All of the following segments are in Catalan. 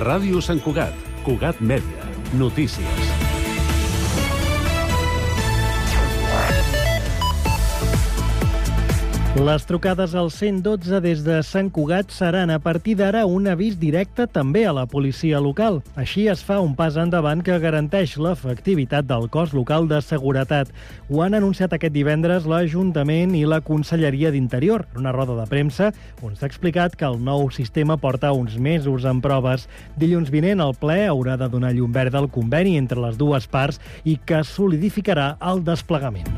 Ràdio Sant Cugat, Cugat Mèdia, notícies. Les trucades al 112 des de Sant Cugat seran a partir d'ara un avís directe també a la policia local. Així es fa un pas endavant que garanteix l'efectivitat del cos local de seguretat. Ho han anunciat aquest divendres l'Ajuntament i la Conselleria d'Interior, en una roda de premsa on s'ha explicat que el nou sistema porta uns mesos en proves. Dilluns vinent el ple haurà de donar llum verda al conveni entre les dues parts i que solidificarà el desplegament.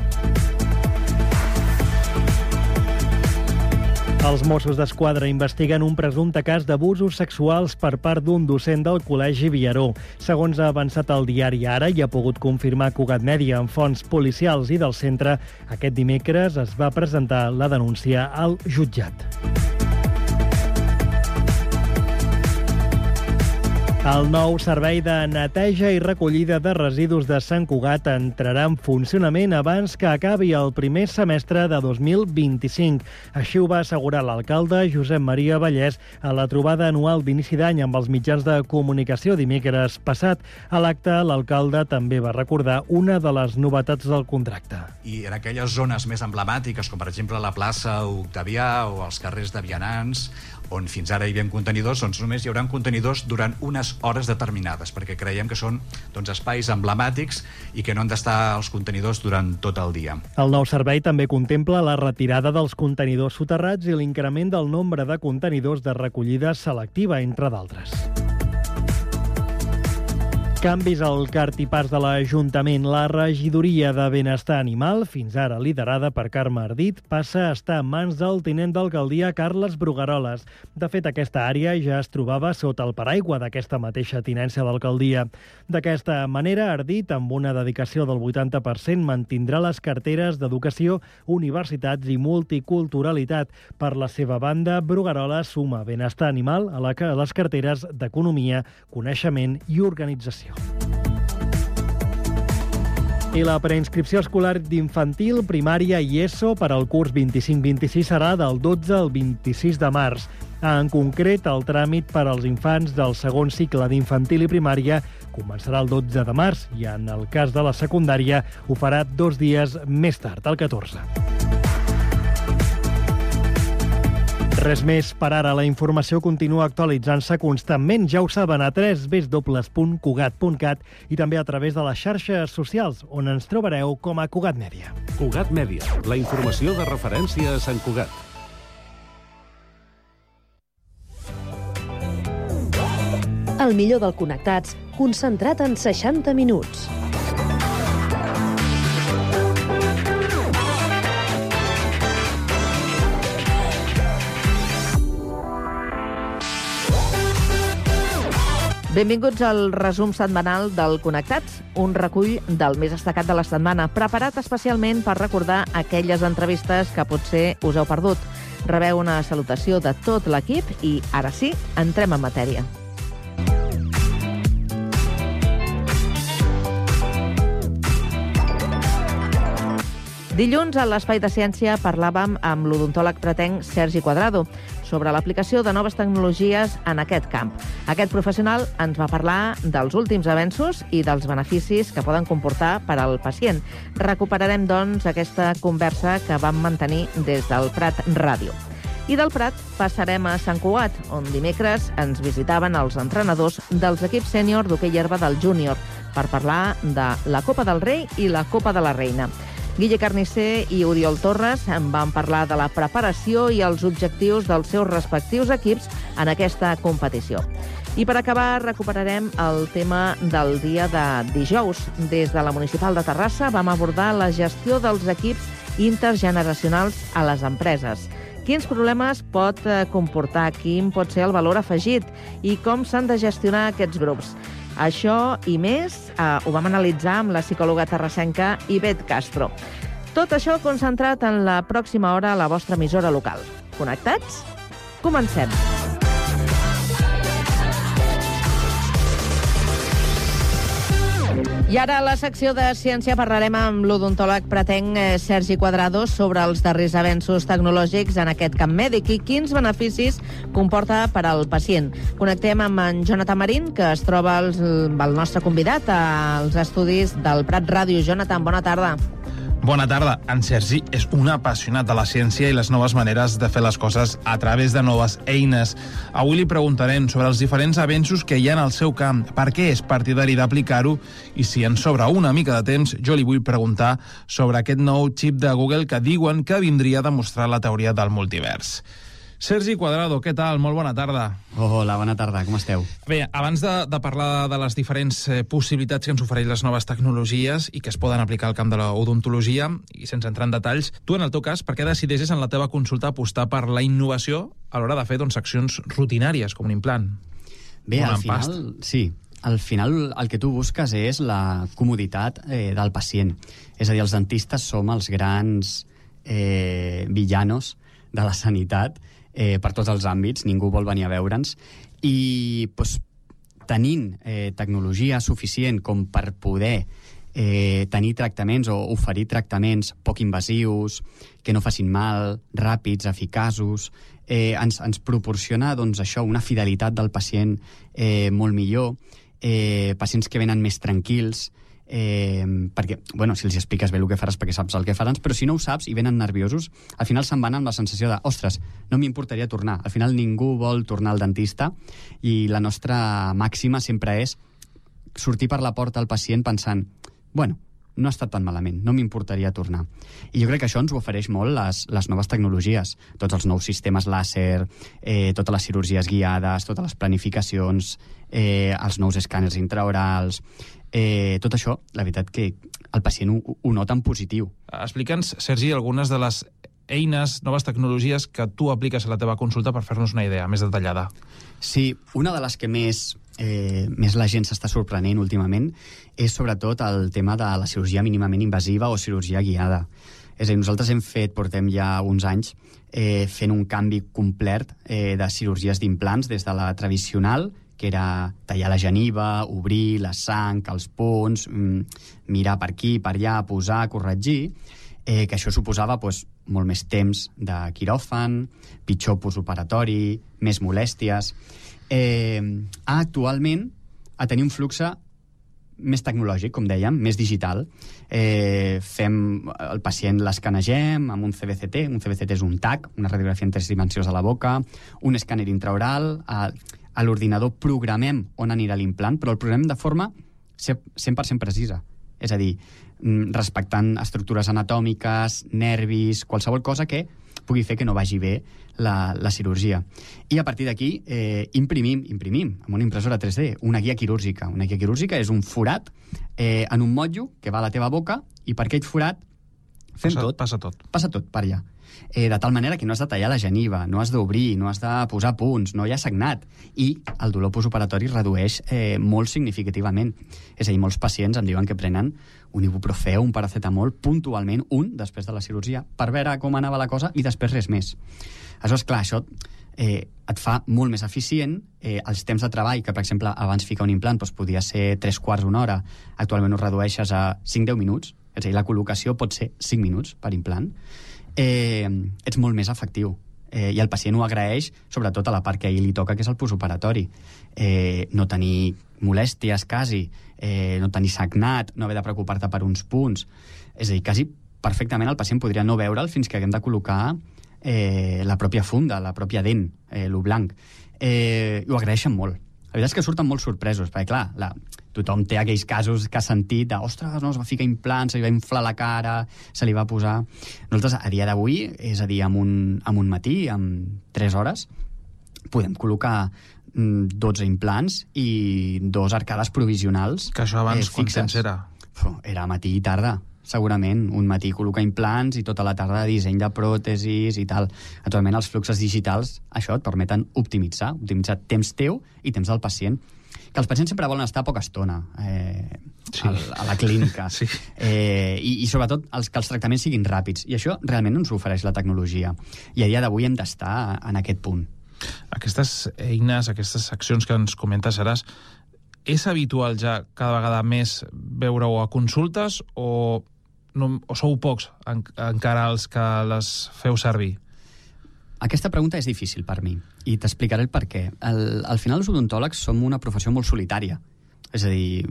Els Mossos d'Esquadra investiguen un presumpte cas d'abusos sexuals per part d'un docent del Col·legi Viaró. Segons ha avançat el diari Ara i ha pogut confirmar Cugat Mèdia amb fonts policials i del centre, aquest dimecres es va presentar la denúncia al jutjat. El nou servei de neteja i recollida de residus de Sant Cugat entrarà en funcionament abans que acabi el primer semestre de 2025. Així ho va assegurar l'alcalde Josep Maria Vallès a la trobada anual d'inici d'any amb els mitjans de comunicació dimecres passat. A l'acte, l'alcalde també va recordar una de les novetats del contracte. I en aquelles zones més emblemàtiques, com per exemple la plaça Octavià o els carrers de vianants, on fins ara hi havia contenidors, doncs només hi haurà contenidors durant unes hores determinades, perquè creiem que són espais emblemàtics i que no han d'estar els contenidors durant tot el dia. El nou servei també contempla la retirada dels contenidors soterrats i l'increment del nombre de contenidors de recollida selectiva, entre d'altres. Canvis al cartipàs de l'Ajuntament. La regidoria de Benestar Animal, fins ara liderada per Carme Ardit, passa a estar en mans del tinent d'alcaldia Carles Brugueroles. De fet, aquesta àrea ja es trobava sota el paraigua d'aquesta mateixa tinència d'alcaldia. D'aquesta manera, Ardit, amb una dedicació del 80%, mantindrà les carteres d'Educació, Universitats i Multiculturalitat. Per la seva banda, Brugueroles suma Benestar Animal a les carteres d'Economia, Coneixement i Organització. I la preinscripció escolar d'infantil, primària i ESO per al curs 25-26 serà del 12 al 26 de març. En concret, el tràmit per als infants del segon cicle d'infantil i primària començarà el 12 de març i, en el cas de la secundària, ho farà 2 dies més tard, el 14. Res més per ara. La informació continua actualitzant-se constantment. Ja ho saben, a www.cugat.cat i també a través de les xarxes socials, on ens trobareu com a Cugat Mèdia. Cugat Mèdia, la informació de referència a Sant Cugat. El millor del Connectats, concentrat en 60 minuts. Benvinguts al resum setmanal del Connectats, un recull del més destacat de la setmana, preparat especialment per recordar aquelles entrevistes que potser us heu perdut. Rebeu una salutació de tot l'equip i, ara sí, entrem en matèria. Dilluns, a l'Espai de Ciència, parlàvem amb l'odontòleg pretenc Sergi Cuadrado sobre l'aplicació de noves tecnologies en aquest camp. Aquest professional ens va parlar dels últims avenços i dels beneficis que poden comportar per al pacient. Recuperarem, doncs, aquesta conversa que vam mantenir des del Prat Ràdio. I del Prat passarem a Sant Cugat, on dimecres ens visitaven els entrenadors dels equips sènior d'hoquei herba del júnior per parlar de la Copa del Rei i la Copa de la Reina. Guille Carnicer i Oriol Torres en van parlar de la preparació i els objectius dels seus respectius equips en aquesta competició. I per acabar, recuperarem el tema del dia de dijous. Des de la Municipal de Terrassa vam abordar la gestió dels equips intergeneracionals a les empreses. Quins problemes pot comportar, quin pot ser el valor afegit i com s'han de gestionar aquests grups. Això i més ho vam analitzar amb la psicòloga terrassenca Ivet Castro. Tot això concentrat en la pròxima hora a la vostra emissora local. Connectats? Comencem! I ara a la secció de ciència parlarem amb l'odontòleg pretenc Sergi Cuadrado sobre els darrers avenços tecnològics en aquest camp mèdic i quins beneficis comporta per al pacient. Connectem amb en Jonathan Marín, que es troba el nostre convidat als estudis del Prat Ràdio. Jonathan, bona tarda. Bona tarda. En Sergi és un apassionat de la ciència i les noves maneres de fer les coses a través de noves eines. Avui li preguntarem sobre els diferents avenços que hi ha en el seu camp, per què és partidari d'aplicar-ho i si ens sobra una mica de temps, jo li vull preguntar sobre aquest nou xip de Google que diuen que vindria a demostrar la teoria del multivers. Sergi Cuadrado, què tal? Molt bona tarda. Hola, bona tarda, com esteu? Bé, abans de parlar de les diferents possibilitats que ens ofereix les noves tecnologies i que es poden aplicar al camp de l'odontologia, i sense entrar en detalls, tu, en el teu cas, per què decideixes en la teva consulta apostar per la innovació a l'hora de fer accions rutinàries, com un implant? Bé, al final el que tu busques és la comoditat del pacient. És a dir, els dentistes som els grans villanos de la sanitat per tots els àmbits, ningú vol venir a veure'ns, i tenint tecnologia suficient com per poder tenir tractaments o oferir tractaments poc invasius, que no facin mal, ràpids, eficaços, ens proporciona això, una fidelitat del pacient molt millor, pacients que venen més tranquils, perquè, si els expliques bé el que faràs perquè saps el que faran, però si no ho saps i venen nerviosos, al final se'n van amb la sensació de ostres, no m'importaria tornar. Al final ningú vol tornar al dentista i la nostra màxima sempre és sortir per la porta al pacient pensant no ha estat tan malament, no m'importaria tornar. I jo crec que això ens ho ofereix molt les noves tecnologies, tots els nous sistemes làser, totes les cirurgies guiades, totes les planificacions, els nous escàners intraorals. Tot això, la veritat que el pacient ho nota en positiu. Explica'ns, Sergi, algunes de les eines, noves tecnologies que tu apliques a la teva consulta per fer-nos una idea més detallada. Sí, una de les que més la gent s'està sorprenent últimament és sobretot el tema de la cirurgia mínimament invasiva o cirurgia guiada. És a dir, nosaltres portem ja uns anys fent un canvi complet de cirurgies d'implants des de la tradicional, que era tallar la geniva, obrir la sang, els punts, mirar per aquí, per allà, posar, corregir, que això suposava molt més temps de quiròfan, pitjor postoperatori, més molèsties. Actualment, a tenir un flux més tecnològic, com dèiem, més digital. El pacient l'escanegem amb un CBCT. Un CBCT és un TAC, una radiografia en 3 dimensions de la boca, un escàner intraoral. A l'ordinador programem on anirà l'implant, però el programem de forma 100% precisa. És a dir, respectant estructures anatòmiques, nervis, qualsevol cosa que pugui fer que no vagi bé la cirurgia. I a partir d'aquí imprimim amb una impressora 3D una guia quirúrgica. Una guia quirúrgica és un forat en un motllo que va a la teva boca i per aquell forat fem tot. Passa tot. Passa tot per allà. De tal manera que no has de tallar la geniva, no has d'obrir, no has de posar punts, no hi ha sagnat. I el dolor postoperatori redueix molt significativament. És a dir, molts pacients em diuen que prenen un ibuprofè o un paracetamol puntualment, després de la cirurgia, per veure com anava la cosa i després res més. Aleshores, clar, això et fa molt més eficient. Els temps de treball, que per exemple abans ficar un implant podia ser 3/4, una hora, actualment ho redueixes a 5-10 minuts. És a dir, la col·locació pot ser 5 minuts per implant. Ets molt més efectiu. I el pacient ho agraeix, sobretot a la part que a ell li toca, que és el postoperatori. No tenir molèsties, quasi, no tenir sagnat, no haver de preocupar-te per uns punts. És a dir, quasi perfectament el pacient podria no veure'l fins que haguem de col·locar la pròpia funda, la pròpia dent, lo blanc. Ho agraeixen molt. La veritat és que surten molt sorpresos, perquè, clar, tothom té aquells casos que ha sentit de, ostres, no, es va ficar implants, se li va inflar la cara, se li va posar... Nosaltres, a dia d'avui, és a dir, amb un matí, amb 3 hores, podem col·locar 12 implants i 2 arcades provisionals. Que això abans quant temps era? Era matí i tarda, segurament. Un matí col·locar implants i tota la tarda disseny de pròtesis i tal. Actualment els fluxos digitals, això et permeten optimitzar temps teu i temps del pacient. Que els pacients sempre volen estar poca estona a la clínica. Sí. I sobretot que els tractaments siguin ràpids. I això realment ens ofereix la tecnologia. I a dia d'avui hem d'estar en aquest punt. Aquestes eines, aquestes accions que ens comentes, Seràs, és habitual ja cada vegada més veure-ho a consultes o sou pocs encara els que les feu servir? Aquesta pregunta és difícil per mi i t'explicaré el per què. Al final els odontòlegs som una professió molt solitària. És a dir,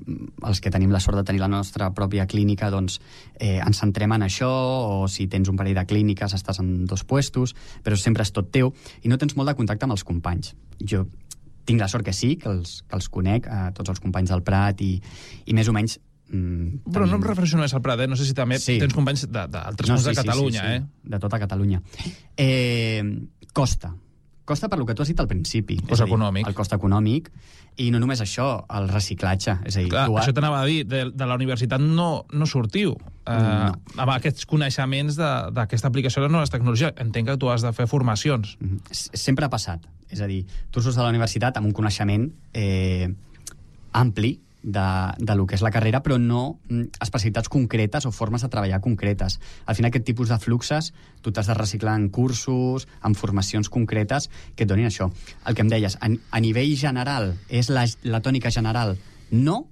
els que tenim la sort de tenir la nostra pròpia clínica, doncs ens centrem en això, o si tens un parell de clíniques estàs en 2 puestos, però sempre és tot teu i no tens molt de contacte amb els companys. Jo tinc la sort que sí, que els conec, tots els companys del Prat i més o menys... Però no em refereixo només al Prat, no sé si també tens companys d'altres punts de Catalunya. Sí. De tota Catalunya. Costa per lo que tu has dit al principi. Cost econòmic. El cost econòmic, i no només això, el reciclatge. És a dir, clar, això t'anava a dir, de la universitat no sortiu amb aquests coneixements d'aquesta aplicació de les noves tecnologies. Entenc que tu has de fer formacions. Sempre ha passat. És a dir, tu surts de la universitat amb un coneixement ampli de lo que és la carrera, però no especialitats concretes o formes de treballar concretes. Al final, aquest tipus de fluxes tu t'has de reciclar en cursos, en formacions concretes que et donin això. El que em deies, a nivell general, és la tònica general? No,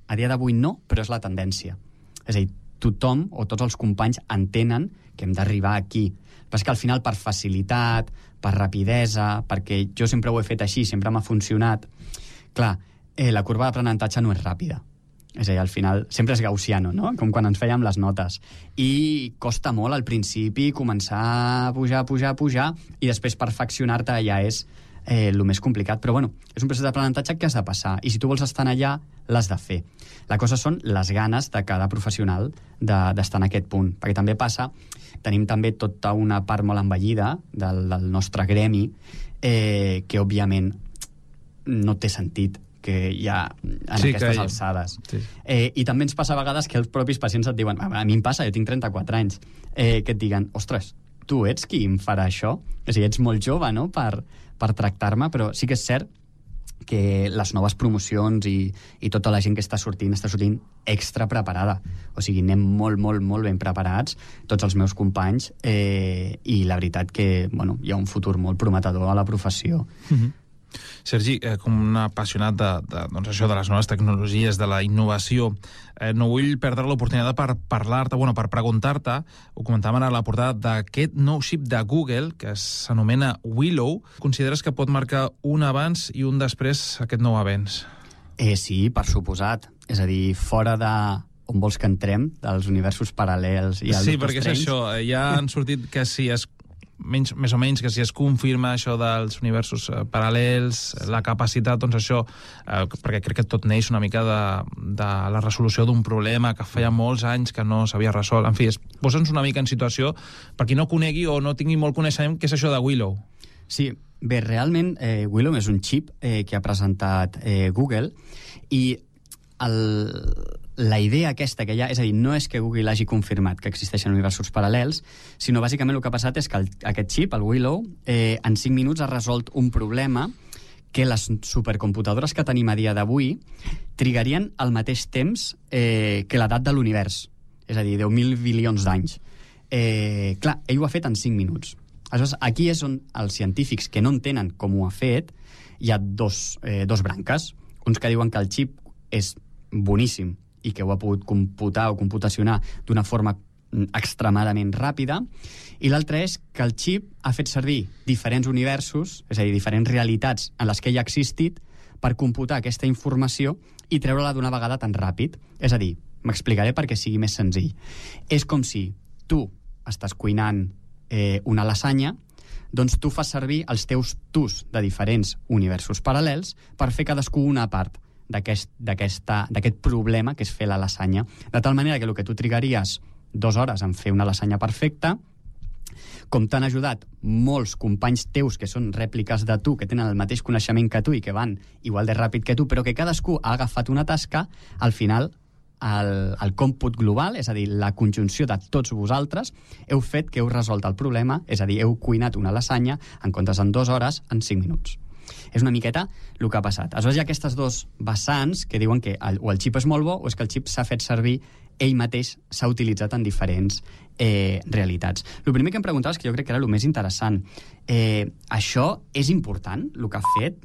a dia d'avui no, però és la tendència. És a dir, tothom o tots els companys entenen que hem d'arribar aquí. Però és que al final, per facilitat, per rapidesa, perquè jo sempre ho he fet així, sempre m'ha funcionat, clar, la curva d'aprenentatge no és ràpida. És a dir, al final, sempre és gaussiano, no? Com quan ens fèiem les notes. I costa molt al principi començar a pujar, i després perfeccionar-te ja és el més complicat. Però bueno, és un procés d'aprenentatge que has de passar. I si tu vols estar allà, l'has de fer. La cosa són les ganes de cada professional d'estar en aquest punt. Perquè també passa, tenim també tota una part molt envellida del nostre gremi que, òbviament, no té sentit que hi ha en aquestes alçades. Sí. I també ens passa a vegades que els propis pacients et diuen, a mi em passa, jo tinc 34 anys, que et diguen, ostres, tu ets qui em farà això? És a dir, ets molt jove, no?, per tractar-me, però sí que és cert que les noves promocions i tota la gent que està sortint extra preparada. O sigui, anem molt, molt, molt ben preparats, tots els meus companys, i la veritat que, bueno, hi ha un futur molt prometedor a la professió. Sergi, com un apassionat doncs això de les noves tecnologies, de la innovació, no vull perdre l'oportunitat per parlar-te, per preguntar-te, ho comentàvem ara a la portada, d'aquest nou xip de Google que s'anomena Willow. Consideres que pot marcar un abans i un després aquest nou avenç? Sí, per suposat. És a dir, fora de on vols que entrem, dels universos paral·lels i el Sí, perquè és això, ja han sortit que si més o menys que si es confirma això dels universos paral·lels, la capacitat, doncs això, perquè crec que tot neix una mica de la resolució d'un problema que feia molts anys que no s'havia resolt. En fi, posa'ns una mica en situació per qui no conegui o no tingui molt coneixement què és això de Willow. Sí, bé, realment Willow és un xip que ha presentat Google i la idea aquesta que hi ha, és a dir, no és que Google hagi confirmat que existeixen universos paral·lels, sinó bàsicament el que ha passat és que aquest xip, el Willow, en 5 minuts ha resolt un problema que les supercomputadores que tenim a dia d'avui trigarien al mateix temps que l'edat de l'univers, és a dir, 10.000 bilions d'anys. Clar, ell ho ha fet en 5 minuts. Aleshores, aquí és on els científics que no entenen com ho ha fet, hi ha dos branques. Uns que diuen que el xip és boníssim i que ho ha pogut computar o computacionar d'una forma extremadament ràpida, i l'altre és que el xip ha fet servir diferents universos, és a dir, diferents realitats en les que ell ha existit, per computar aquesta informació i treure-la d'una vegada tan ràpid. És a dir, m'explicaré perquè sigui més senzill. És com si tu estàs cuinant una lasanya, doncs tu fas servir els teus tus de diferents universos paral·lels per fer cadascú una part d'aquest problema que és fer la lasanya, de tal manera que el que tu trigaries 2 hores en fer una lasanya perfecta, com t'han ajudat molts companys teus que són rèpliques de tu, que tenen el mateix coneixement que tu i que van igual de ràpid que tu, però que cadascú ha agafat una tasca, al final el còmput global, és a dir, la conjunció de tots vosaltres, heu fet que heu resolt el problema, és a dir, heu cuinat una lasanya en comptes en 2 hores, en 5 minuts. És una miqueta el que ha passat. Aleshores hi ha aquestes 2 vessants que diuen que o el xip és molt bo o és que el xip s'ha fet servir ell mateix, s'ha utilitzat en diferents realitats. El primer que em preguntaves, que jo crec que era el més interessant, això és important, el que ha fet?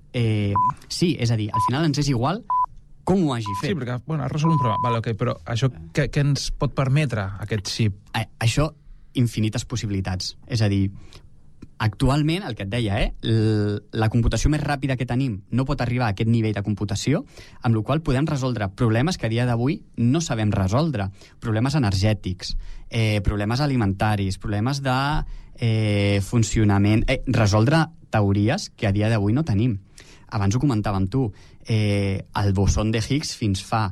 Sí, és a dir, al final ens és igual com ho hagi fet. Sí, perquè ha resolt un problema. Vale, okay, però això què ens pot permetre, aquest xip? Això, infinites possibilitats. És a dir, actualment, el que et deia, la computació més ràpida que tenim no pot arribar a aquest nivell de computació, amb la qual podem resoldre problemes que a dia d'avui no sabem resoldre. Problemes energètics, problemes alimentaris, problemes de funcionament... resoldre teories que a dia d'avui no tenim. Abans ho comentàvem tu, el boson de Higgs fins fa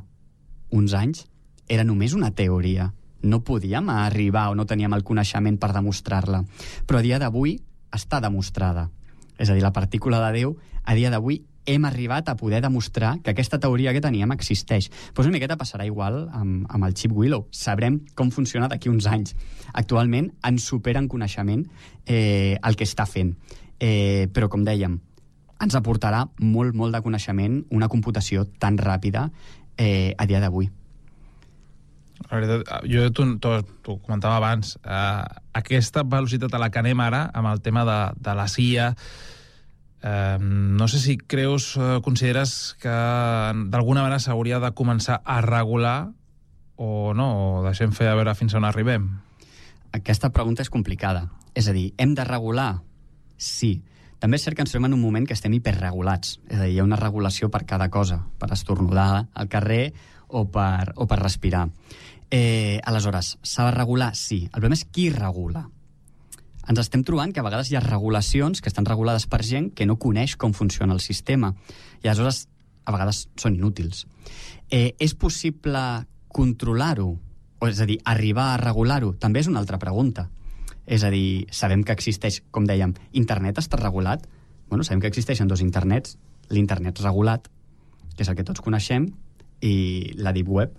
uns anys era només una teoria. No podíem arribar o no teníem el coneixement per demostrar-la. Però a dia d'avui està demostrada. És a dir, la partícula de Déu, a dia d'avui hem arribat a poder demostrar que aquesta teoria que teníem existeix. Pues una miqueta passarà igual amb el xip Willow. Sabrem com funciona d'aquí uns anys. Actualment ens supera en coneixement el que està fent. Però, com dèiem, ens aportarà molt, molt de coneixement una computació tan ràpida a dia d'avui. La veritat, jo t'ho comentava abans, aquesta velocitat a la que anem ara, amb el tema de la CIA, no sé si consideres que d'alguna manera s'hauria de començar a regular o no, o deixem fer a veure fins on arribem? Aquesta pregunta és complicada. És a dir, hem de regular? Sí. També és cert que ens trobem en un moment que estem hiperregulats. És a dir, hi ha una regulació per cada cosa, per estornudar al carrer o per respirar. Aleshores, s'ha de regular? Sí. El problema és qui regula. Ens estem trobant que a vegades hi ha regulacions que estan regulades per gent que no coneix com funciona el sistema. I aleshores, a vegades són inútils. És possible controlar-ho? O és a dir, arribar a regular-ho? També és una altra pregunta. És a dir, sabem que existeix, com dèiem, internet està regulat? Bueno, sabem que existeixen dos internets. L'internet regulat, que és el que tots coneixem, i la Deep Web,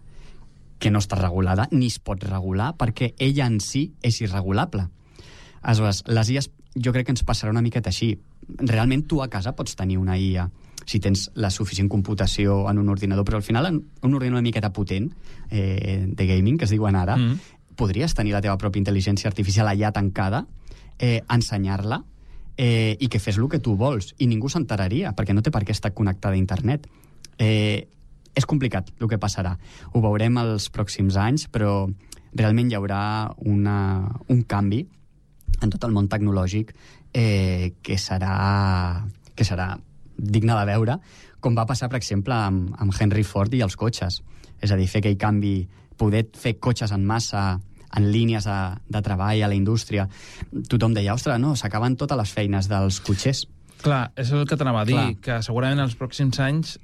que no està regulada, ni es pot regular, perquè ella en si és irregulable. Aleshores, les IAs jo crec que ens passarà una miqueta així. Realment tu a casa pots tenir una IA si tens la suficient computació en un ordinador, però al final en un ordinador una miqueta potent, de gaming, que es diuen ara, podries tenir la teva pròpia intel·ligència artificial allà tancada, ensenyar-la, i que fes el que tu vols, i ningú s'enteraria, perquè no té per què estar connectada a internet. És complicat el que passarà. Ho veurem els pròxims anys, però realment hi haurà un canvi en tot el món tecnològic que serà digne de veure, com va passar, per exemple, amb Henry Ford i els cotxes. És a dir, fer aquell canvi, poder fer cotxes en massa, en línies de treball a la indústria. Tothom deia, ostres, no, s'acaben totes les feines dels cotxers. Clar, és el que t'anava a dir, que segurament en els pròxims anys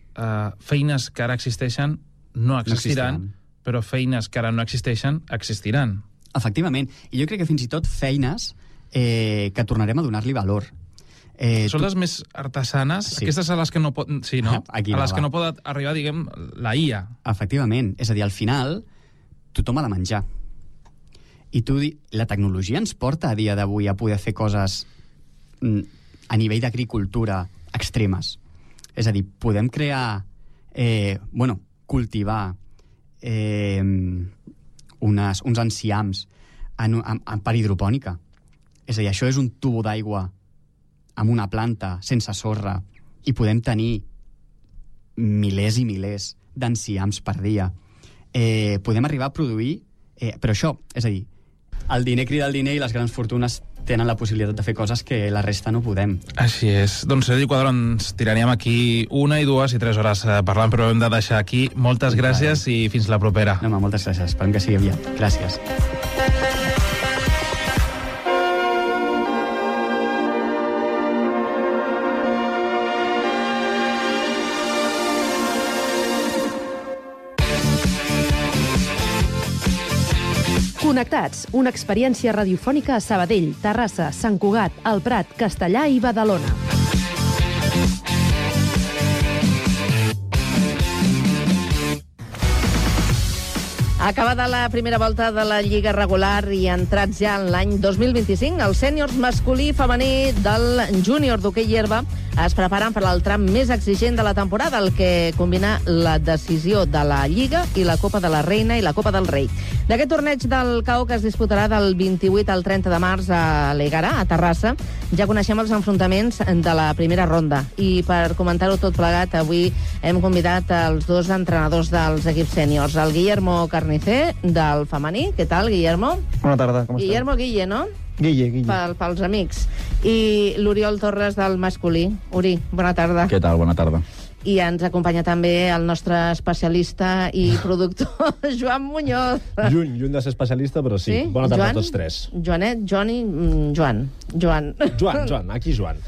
feines que ara existeixen no existiran, però feines que ara no existeixen existiran. Efectivament, i jo crec que fins i tot feines que tornarem a donar-li valor. Són les més artesanes, sí. Aquestes a les que no pot... Sí, no? A les que no pot arribar, diguem, la IA. Efectivament, és a dir, al final tothom ha de menjar. I la tecnologia ens porta a dia d'avui a poder fer coses a nivell d'agricultura extremes. És a dir, podem crear, cultivar uns enciams per hidropònica. És a dir, això és un tubo d'aigua amb una planta, sense sorra, i podem tenir milers i milers d'enciams per dia. Podem arribar a produir... però això, és a dir, el diner crida el diner i les grans fortunes tenen la possibilitat de fer coses que la resta no podem. Així és. Doncs, Sergi Cuadro, ens tiraríem aquí 1, 2 i 3 hores parlant, però hem de deixar aquí. Moltes gràcies i fins la propera. No, moltes gràcies. Esperem que sigui aviat. Gràcies. Connectats, una experiència radiofònica a Sabadell, Terrassa, Sant Cugat, El Prat, Castellà i Badalona. Acabada la primera volta de la Lliga regular i entrats ja en l'any 2025, els sèniors masculí i femení del júnior d'hoquei herba es preparen per al tram més exigent de la temporada, el que combina la decisió de la Lliga i la Copa de la Reina i la Copa del Rei. D'aquest torneig del CAO, que es disputarà del 28 al 30 de març a l'Egarà, a Terrassa, ja coneixem els enfrontaments de la primera ronda. I per comentar-ho tot plegat, avui hem convidat els dos entrenadors dels equips sèniors, el Guillermo Carnicer, del femení. Què tal, Guillermo? Bona tarda, com esteu? Guillermo Guille, no? Guille. Pels amics. I l'Oriol Torres, del masculí. Uri, bona tarda. Què tal? Bona tarda. I ens acompanya també el nostre especialista i productor, Joan Muñoz. Lluny de ser especialista, però sí. Bona tarda a tots tres. Joanet, Joan. Joan, aquí Joan.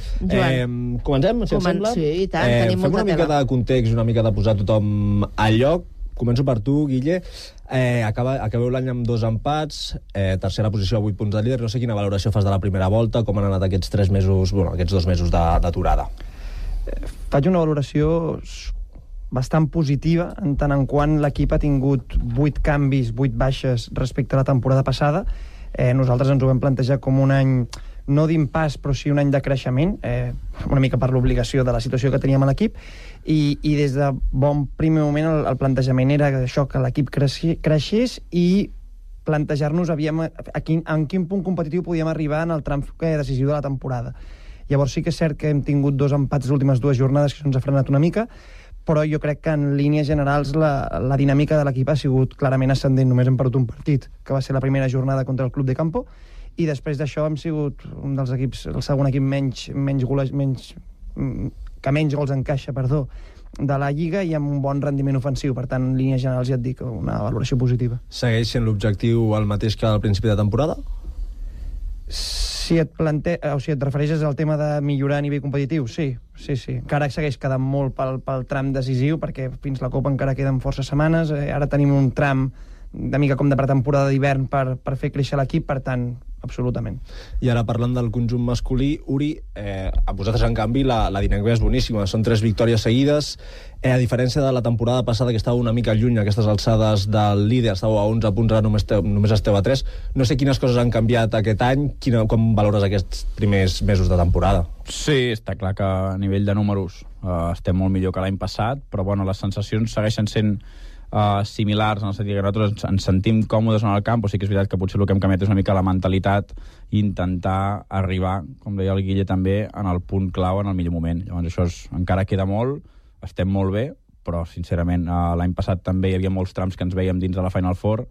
Comencem, si et sembla? Sí, i tant, tenim molta tela. Fem una mica de context, una mica de posar tothom al lloc. Començo per tu, Guille. Acabeu l'any amb 2 empats, tercera posició a 8 punts de líder. No sé quina valoració fas de la primera volta, com han anat aquests 3 mesos, aquests 2 mesos d'aturada. Faig una valoració bastant positiva, en tant en quant l'equip ha tingut 8 canvis, 8 baixes respecte a la temporada passada. Nosaltres ens ho vam plantejar com un any, no d'impàs, però sí un any de creixement, una mica per l'obligació de la situació que teníem a l'equip, i des de bon primer moment el plantejament era això, que l'equip creixés i plantejar-nos en quin punt competitiu podíem arribar en el tram decisiu de la temporada. Llavors sí que és cert que hem tingut 2 empats les últimes 2 jornades que ens ha frenat una mica, però jo crec que en línies generals la dinàmica de l'equip ha sigut clarament ascendent. Només hem perdut un partit, que va ser la primera jornada contra el Club de Campo, i després d'això hem sigut un dels equips, el segon equip que menys gols encaixa, de la Lliga, i amb un bon rendiment ofensiu. Per tant, en línies generals ja et dic, una valoració positiva. Segueix sent l'objectiu el mateix que al principi de temporada? Si et refereixes al tema de millorar a nivell competitiu, sí. Encara segueix quedant molt pel tram decisiu, perquè fins la Copa encara queden força setmanes. Ara tenim un tram de mica com de pretemporada d'hivern per fer créixer l'equip, per tant, absolutament. I ara parlant del conjunt masculí, Uri, a vosaltres en canvi la dinàmica és boníssima, són 3 victòries seguides, a diferència de la temporada passada que estava una mica lluny a aquestes alçades del líder, estàveu a 11 punts, ara només esteu a 3. No sé quines coses han canviat aquest any, com valores aquests primers mesos de temporada? Sí, està clar que a nivell de números estem molt millor que l'any passat, però bueno, les sensacions segueixen sent similars, en el sentit que nosaltres ens sentim còmodes en el camp, o sí que és veritat que potser el que hem canviat és una mica la mentalitat i intentar arribar, com deia el Guille també, en el punt clau en el millor moment. Llavors això encara queda molt, estem molt bé, però sincerament l'any passat també hi havia molts trams que ens veiem dins de la Final Four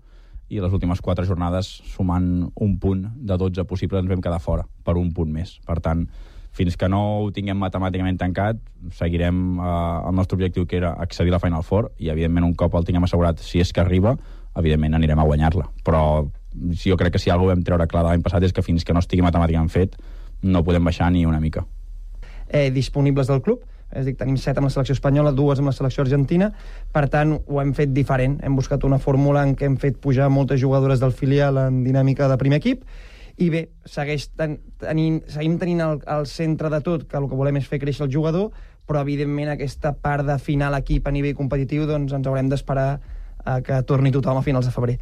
i les últimes 4 jornades, sumant un punt de 12 possibles, ens vam quedar fora per un punt més. Per tant, fins que no ho tinguem matemàticament tancat, seguirem el nostre objectiu, que era accedir a la Final Four, i evidentment un cop el tinguem assegurat, si és que arriba, evidentment anirem a guanyar-la. Però jo crec que si alguna cosa vam treure clar de l'any passat és que fins que no estigui matemàticament fet no podem baixar ni una mica. Disponibles del club, és a dir, tenim 7 amb la selecció espanyola, 2 amb la selecció argentina, per tant ho hem fet diferent, hem buscat una fórmula en què hem fet pujar moltes jugadores del filial en dinàmica de primer equip, i bé, seguim tenint el centre de tot, que el que volem és fer créixer el jugador, però evidentment aquesta part d'afinar l'equip a nivell competitiu doncs ens haurem d'esperar a que torni tothom a finals de febrer.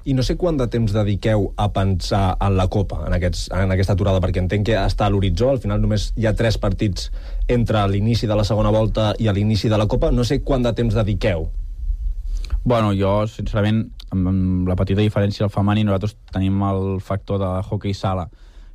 I no sé quant de temps dediqueu a pensar en la Copa, en aquesta aturada, perquè entenc que està a l'horitzó, al final només hi ha 3 partits entre l'inici de la segona volta i l'inici de la Copa. No sé quant de temps dediqueu. Bueno, jo, sincerament, amb la petita diferència del femení, nosaltres tenim el factor de hoquei sala,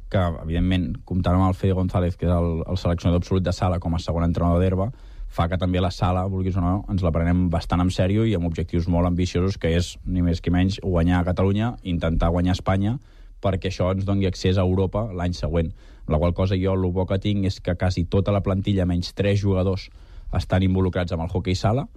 que, evidentment, comptant amb el Fede González, que és el seleccionador absolut de sala com a segon entrenador d'herba, fa que també la sala, vulguis o no, ens la prenem bastant en sèrio i amb objectius molt ambiciosos, que és, ni més ni menys, guanyar a Catalunya, intentar guanyar a Espanya, perquè això ens doni accés a Europa l'any següent. Amb la qual cosa jo el bo que tinc és que quasi tota la plantilla, menys 3 jugadors, estan involucrats amb el hoquei sala,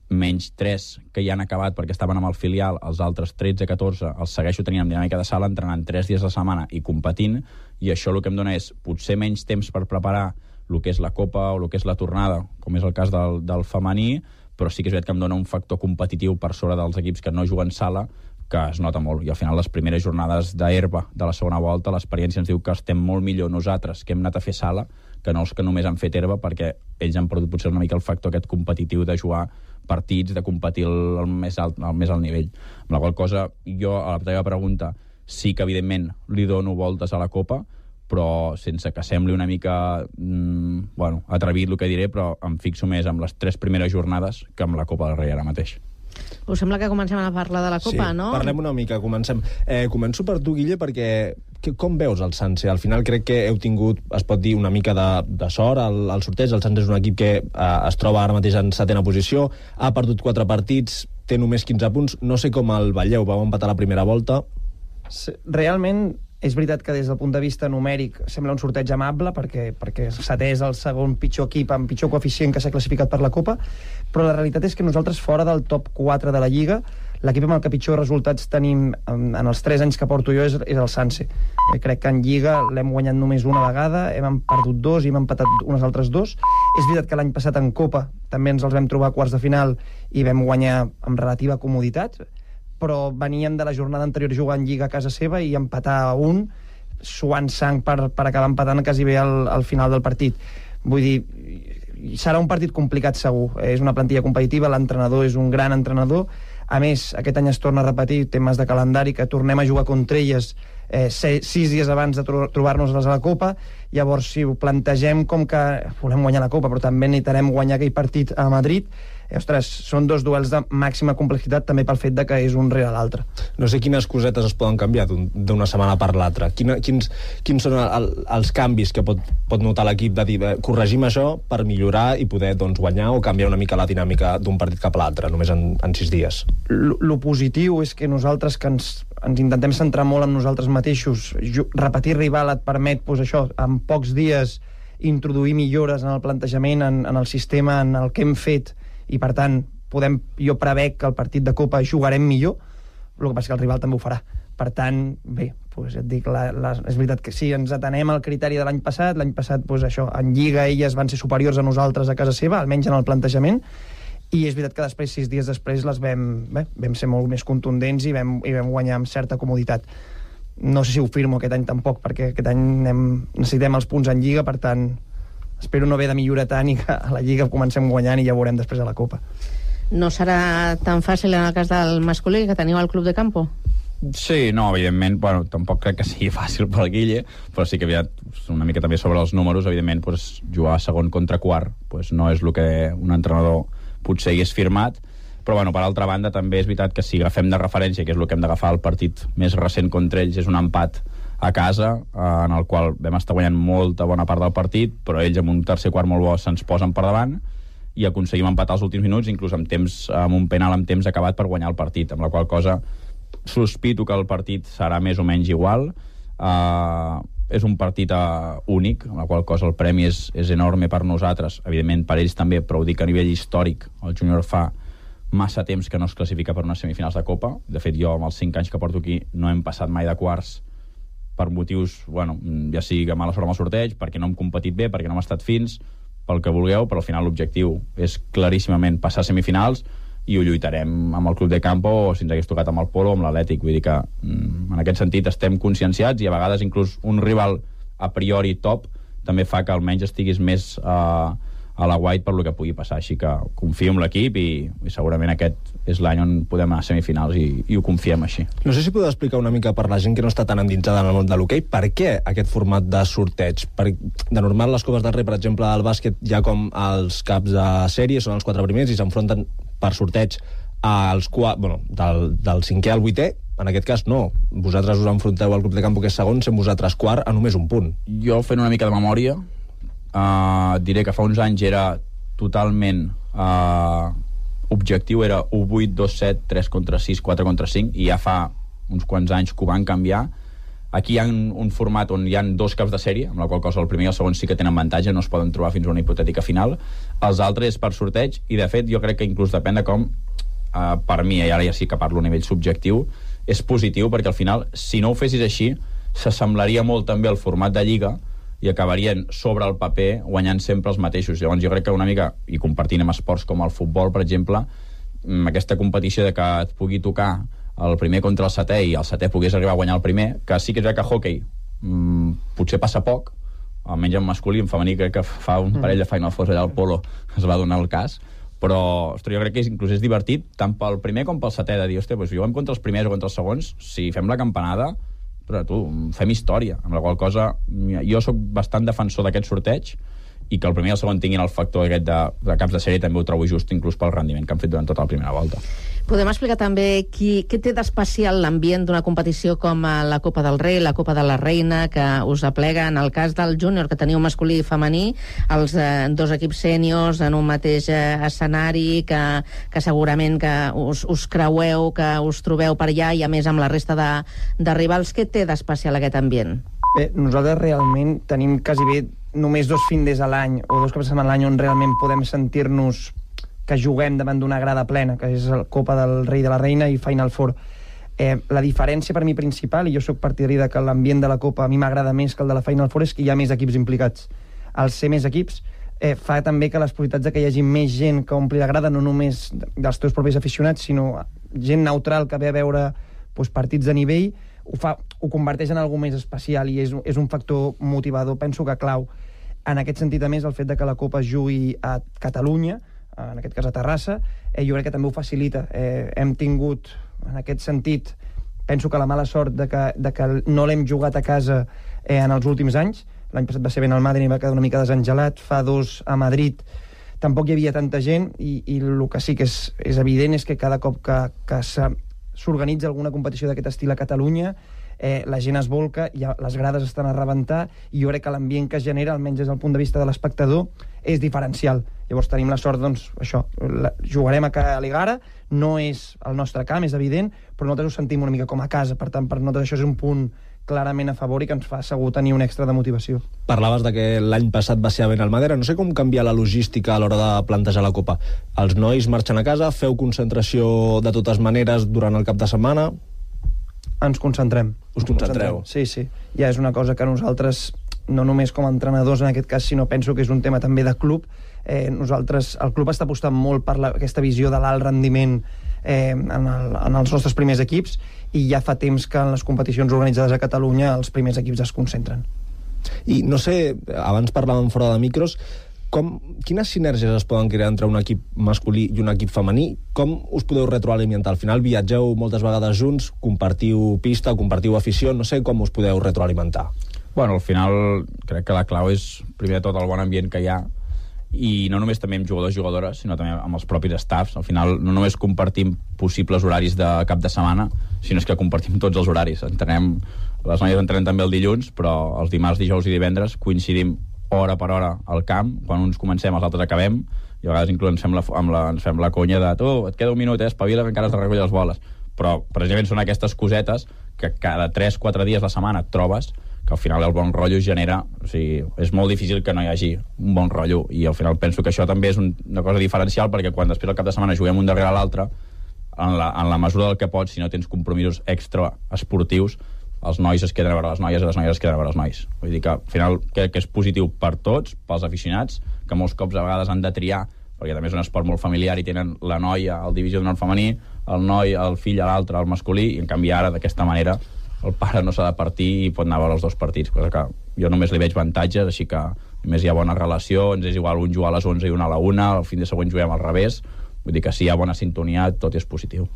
menys 3 que ja han acabat perquè estaven amb el filial, els altres 13-14 els segueixo tenint amb dinàmica de sala, entrenant 3 dies a la setmana i competint, i això el que em dona és potser menys temps per preparar el que és la Copa o el que és la tornada, com és el cas del femení, però sí que és veritat que em dona un factor competitiu per sobre dels equips que no juguen sala, que es nota molt, i al final les primeres jornades d'herba de la segona volta, l'experiència ens diu que estem molt millor nosaltres que hem anat a fer sala que no els que només han fet herba, perquè ells han perdut potser una mica el factor aquest competitiu de jugar partits, de competir al més alt nivell. Amb la qual cosa, jo, a la teva pregunta, sí que evidentment li dono voltes a la Copa, però sense que sembli una mica atrevit el que diré, però em fixo més amb les 3 primeres jornades que amb la Copa del Rei ara mateix. Us sembla que comencem a parlar de la Copa, no? Sí, parlem una mica, comencem. Començo per tu, Guille, perquè com veus el Sanse? Al final crec que heu tingut, es pot dir, una mica de sort al sorteig. El Sanse és un equip que es troba ara mateix en 7ª posició, ha perdut 4 partits, té només 15 punts. No sé com el veieu, vau empatar la primera volta. Realment, és veritat que des del punt de vista numèric sembla un sorteig amable, perquè setè és el segon pitjor equip amb pitjor coeficient que s'ha classificat per la Copa, però la realitat és que nosaltres, fora del top 4 de la Lliga, l'equip amb el que pitjor resultats tenim en els 3 anys que porto jo és el Sanse. Crec que en Lliga l'hem guanyat només una vegada, hem perdut 2 i hem empatat unes altres 2. És veritat que l'any passat en Copa també ens els vam trobar a quarts de final i vam guanyar amb relativa comoditat, però veníem de la jornada anterior jugant Lliga a casa seva i empatar a 1, suant sang per acabar empatant quasi bé al final del partit. Vull dir, serà un partit complicat segur. És una plantilla competitiva, l'entrenador és un gran entrenador. A més, aquest any es torna a repetir temes de calendari, que tornem a jugar contra elles 6 dies abans de trobar-nos-les a la Copa. Llavors, si ho plantegem com que volem guanyar la Copa, però també necessitarem guanyar aquell partit a Madrid, ostres, són 2 duels de màxima complexitat també pel fet de que és un rere l'altre. No sé quines cosetes es poden canviar d'una setmana per l'altra. Quins són els canvis que pot notar l'equip de dir, corregim això per millorar i poder guanyar o canviar una mica la dinàmica d'un partit cap a l'altre, només en 6 dies? Lo positiu és que nosaltres que ens intentem centrar molt en nosaltres mateixos, repetir rival et permet, en pocs dies introduir millores en el plantejament, en el sistema, en el que hem fet, i per tant jo prevec que el partit de Copa jugarem millor, el que passa que el rival també ho farà. Per tant, bé, et dic, és veritat que sí, ens atenem al criteri de l'any passat, en Lliga elles van ser superiors a nosaltres a casa seva, almenys en el plantejament, i és veritat que després, 6 dies després, les vam ser molt més contundents i vam guanyar amb certa comoditat. No sé si ho firmo aquest any tampoc, perquè aquest any necessitem els punts en Lliga, per tant espero no haver de millorar tant i que a la Lliga comencem guanyant i ja veurem després a la Copa. No serà tan fàcil en el cas del masculí, que teniu al Club de Campo? Sí, no, evidentment, tampoc crec que sigui fàcil pel Guille, però sí que una mica també sobre els números, evidentment, jugar segon contra quart no és el que un entrenador potser hagués firmat, però per altra banda també és veritat que si agafem de referència, que és el que hem d'agafar, el partit més recent contra ells és un empat a casa, en el qual vam estar guanyant molta bona part del partit, però ells amb un tercer quart molt bo se'ns posen per davant i aconseguim empatar els últims minuts, inclús amb un penal amb temps acabat per guanyar el partit, amb la qual cosa sospito que el partit serà més o menys igual. És un partit únic, amb la qual cosa el premi és enorme per nosaltres, evidentment per ells també, però ho dic a nivell històric. El júnior fa massa temps que no es classifica per unes semifinals de Copa. De fet, jo amb els 5 anys que porto aquí no hem passat mai de quarts per motius, ja sigui que mala sort amb el sorteig, perquè no hem competit bé, perquè no hem estat fins, pel que vulgueu, però al final l'objectiu és claríssimament passar a semifinals i ho lluitarem amb el Club de Campo o si ens hagués tocat amb el Polo o amb l'Atlètic. Vull dir que en aquest sentit estem conscienciats i a vegades inclús un rival a priori top també fa que almenys estiguis més a la White per lo que pugui passar, així que confio en l'equip i segurament aquest és l'any on podem anar a semifinals i ho confiem així. No sé si podeu explicar una mica per la gent que no està tan endinsada en el món de l'hoquei, per què aquest format de sorteig? De normal, les Copes del Rei, per exemple, al bàsquet, ja com els caps de sèrie, són els 4 primers i s'enfronten per sorteig del 5è al 8è. En aquest cas, no. Vosaltres us enfronteu al Club de Campo, que és segon, sent vosaltres quart a només un punt. Jo, fent una mica de memòria, diré que fa uns anys era totalment objectiu, era 1-8, 2-7, 3 contra 6, 4 contra 5, i ja fa uns quants anys que ho van canviar. Aquí hi ha un format on hi ha 2 caps de sèrie, amb la qual cosa el primer i el segon sí que tenen avantatge, no es poden trobar fins a una hipotètica final. Els altres és per sorteig, i de fet jo crec que inclús depèn de com, per mi, i ara ja sí que parlo a nivell subjectiu, és positiu, perquè al final, si no ho fessis així, s'assemblaria molt també al format de Lliga, i acabarien sobre el paper guanyant sempre els mateixos. Llavors jo crec que una mica, i compartint amb esports com el futbol, per exemple, aquesta competició de que et pugui tocar el primer contra el setè i el setè pogués arribar a guanyar el primer, que sí que és que a hockey potser passa poc, almenys en masculí, en femení crec que fa un parell de Final Fours allà al Polo es va donar el cas, però jo crec que inclús és divertit tant pel primer com pel setè, de dir, juguem contra els primers o contra els segons, si fem la campanada però fem història, amb la qual cosa jo sóc bastant defensor d'aquest sorteig i que el primer i el segon tinguin el factor aquest de caps de sèrie també ho trobo just, inclús pel rendiment que han fet durant tota la primera volta. Podem explicar també què té d'especial l'ambient d'una competició com la Copa del Rei, la Copa de la Reina, que us aplega, en el cas del júnior, que teniu masculí i femení, els dos equips sèniors en un mateix escenari, que segurament que us creueu, que us trobeu per allà, i a més amb la resta de rivals. Què té d'especial aquest ambient? Bé, nosaltres realment tenim quasi bé només 2 findes a l'any o 2 cops de setmana a l'any on realment podem sentir-nos que juguem davant d'una grada plena, que és la Copa del Rei de la Reina i Final Four. La diferència per mi principal, i jo sóc partidari de que l'ambient de la Copa a mi m'agrada més que el de la Final Four, és que hi ha més equips implicats. Al ser més equips fa també que les possibilitats de que hi hagi més gent que ompli la grada, no només dels teus propis aficionats, sinó gent neutral que ve a veure partits de nivell, ho converteix en alguna més especial i és un factor motivador, penso que clau. En aquest sentit, a més, el fet de que la Copa es jugui a Catalunya, en aquest cas a Terrassa, jo crec que també ho facilita. Hem tingut, en aquest sentit, penso que la mala sort de que no l'hem jugat a casa en els últims anys. L'any passat va ser Benalmádena i va quedar una mica desengelat. Fa 2 a Madrid tampoc hi havia tanta gent i el que sí que és evident és que cada cop que s'organitza alguna competició d'aquest estil a Catalunya, la gent es volca, les grades estan a rebentar i jo crec que l'ambient que es genera, almenys des del punt de vista de l'espectador, és diferencial. Llavors tenim la sort, doncs, això, jugarem a l'Egara, no és el nostre camp, és evident, però nosaltres ho sentim una mica com a casa, per tant, per nosaltres això és un punt clarament a favor i que ens fa segur tenir un extra de motivació. Parlaves de que l'any passat va ser a Benalmádena. No sé com canvia la logística a l'hora de plantejar la Copa. Els nois marxen a casa, feu concentració de totes maneres durant el cap de setmana? Ens concentrem. Us concentreu? Sí. Ja és una cosa que nosaltres, no només com a entrenadors en aquest cas, sinó penso que és un tema també de club. Nosaltres, el club està apostant molt per aquesta visió de l'alt rendiment en els nostres primers equips i ja fa temps que en les competicions organitzades a Catalunya els primers equips es concentren. I no sé, abans parlàvem fora de micros, quines sinergies es poden crear entre un equip masculí i un equip femení? Com us podeu retroalimentar? Al final viatgeu moltes vegades junts, compartiu pista, compartiu afició, no sé com us podeu retroalimentar. Bueno, al final crec que la clau és primer de tot el bon ambient que hi ha i no només també amb jugadors i jugadores, sinó també amb els propis staffs. Al final no només compartim possibles horaris de cap de setmana, sinó que compartim tots els horaris. Les noies entrenem també el dilluns, però els dimarts, dijous i divendres coincidim hora per hora al camp. Quan uns comencem, els altres acabem, i a vegades inclús ens fem la conya de tu, et queda un minut, espavila que encara has de recollir les boles. Però precisament són aquestes cosetes que cada 3-4 dies a la setmana et trobes, que al final el bon rotllo es genera, o sigui, és molt difícil que no hi hagi un bon rotllo, i al final penso que això també és una cosa diferencial, perquè quan després al cap de setmana juguem un darrere l'altre, en la mesura del que pots, si no tens compromisos extra esportius, els nois es queden a veure les noies i les noies es queden a veure els nois. Vull dir que al final crec que és positiu per tots, pels aficionats, que molts cops a vegades han de triar, perquè també és un esport molt familiar i tenen la noia al divisió d'honor femení, el noi, el fill a l'altre, el masculí, i en canvi ara d'aquesta manera el pare no s'ha de partir i pot anar a veure els 2 partits, cosa que jo només li veig avantatges, així que només hi ha bona relació, ens és igual un jugar a les 11 i un a la 1, el fin de següent juguem al revés, vull dir que si hi ha bona sintonia tot és positiu.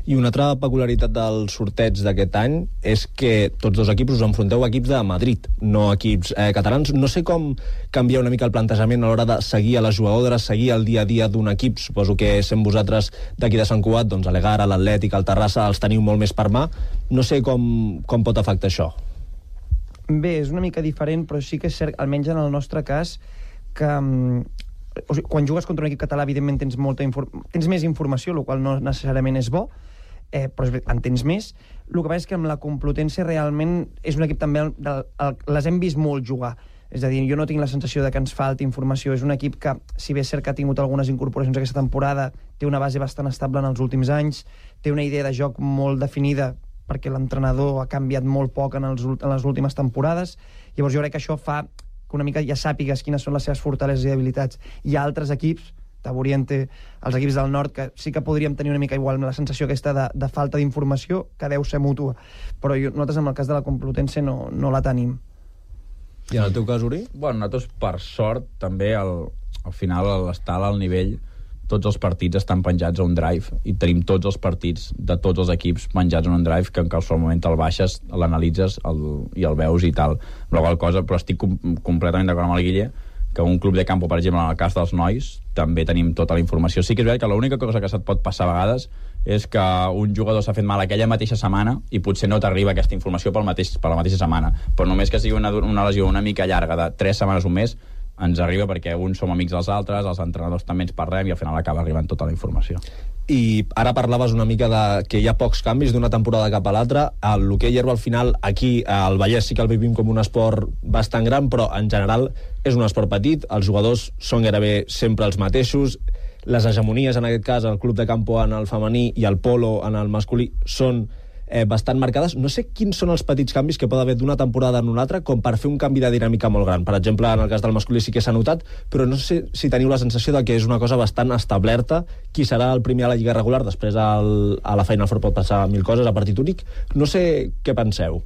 I una altra peculiaritat del sorteig d'aquest any és que tots 2 equips us enfronteu a equips de Madrid, no equips catalans. No sé com canvia una mica el plantejament a l'hora de seguir a les jugadores, seguir el dia a dia d'un equip. Suposo que sent vosaltres d'aquí de Sant Cugat, doncs a l'Egara, l'Atlètic, al Terrassa, els teniu molt més per mà. No sé com pot afectar això. Bé, és una mica diferent, però sí que és cert, almenys en el nostre cas, que o sigui, quan jugues contra un equip català, evidentment tens més informació, el qual no necessàriament és bo, però en tens més. El que passa és que amb la Complutense realment és un equip també les hem vist molt jugar. És a dir, jo no tinc la sensació de que ens falti informació. És un equip que, si bé és cert que ha tingut algunes incorporacions aquesta temporada, té una base bastant estable en els últims anys, té una idea de joc molt definida perquè l'entrenador ha canviat molt poc en les últimes temporades. Llavors jo crec que això fa que una mica ja sàpigues quines són les seves fortaleses i habilitats. Hi ha altres equips, Taburiente, els equips del nord, que sí que podríem tenir una mica igual la sensació aquesta de falta d'informació, que deu ser mútua. Però nosaltres, en el cas de la Complutense, no la tenim. I en el teu cas, Uri? Bueno, nosaltres, per sort, també, al final, l'estar al nivell tots els partits estan penjats a un drive i tenim tots els partits de tots els equips penjats a un drive que en qualsevol moment el baixes, l'analitzes i el veus i tal. Però estic completament d'acord amb el Guille que un club de campo, per exemple, en el cas dels nois, també tenim tota la informació. Sí que és veritat que l'única cosa que se't pot passar a vegades és que un jugador s'ha fet mal aquella mateixa setmana i potser no t'arriba aquesta informació per la mateixa setmana. Però només que sigui una lesió una mica llarga de 3 setmanes o un mes, ens arriba perquè uns som amics dels altres, els entrenadors també ens parlem i al final acaba arribant tota la informació. I ara parlaves una mica de que hi ha pocs canvis d'una temporada cap a l'altra. L'hoquei herba, al final, aquí al Vallès sí que el vivim com un esport bastant gran, però en general és un esport petit, els jugadors són gairebé sempre els mateixos, les hegemonies, en aquest cas, el club de campo en el femení i el polo en el masculí, són bastant marcades. No sé quins són els petits canvis que pot haver d'una temporada en una altra com per fer un canvi de dinàmica molt gran. Per exemple, en el cas del masculí sí que s'ha notat, però no sé si teniu la sensació de que és una cosa bastant establerta. Qui serà el primer a la lliga regular? Després a la Final Four pot passar 1000 coses, a partit únic. No sé què penseu.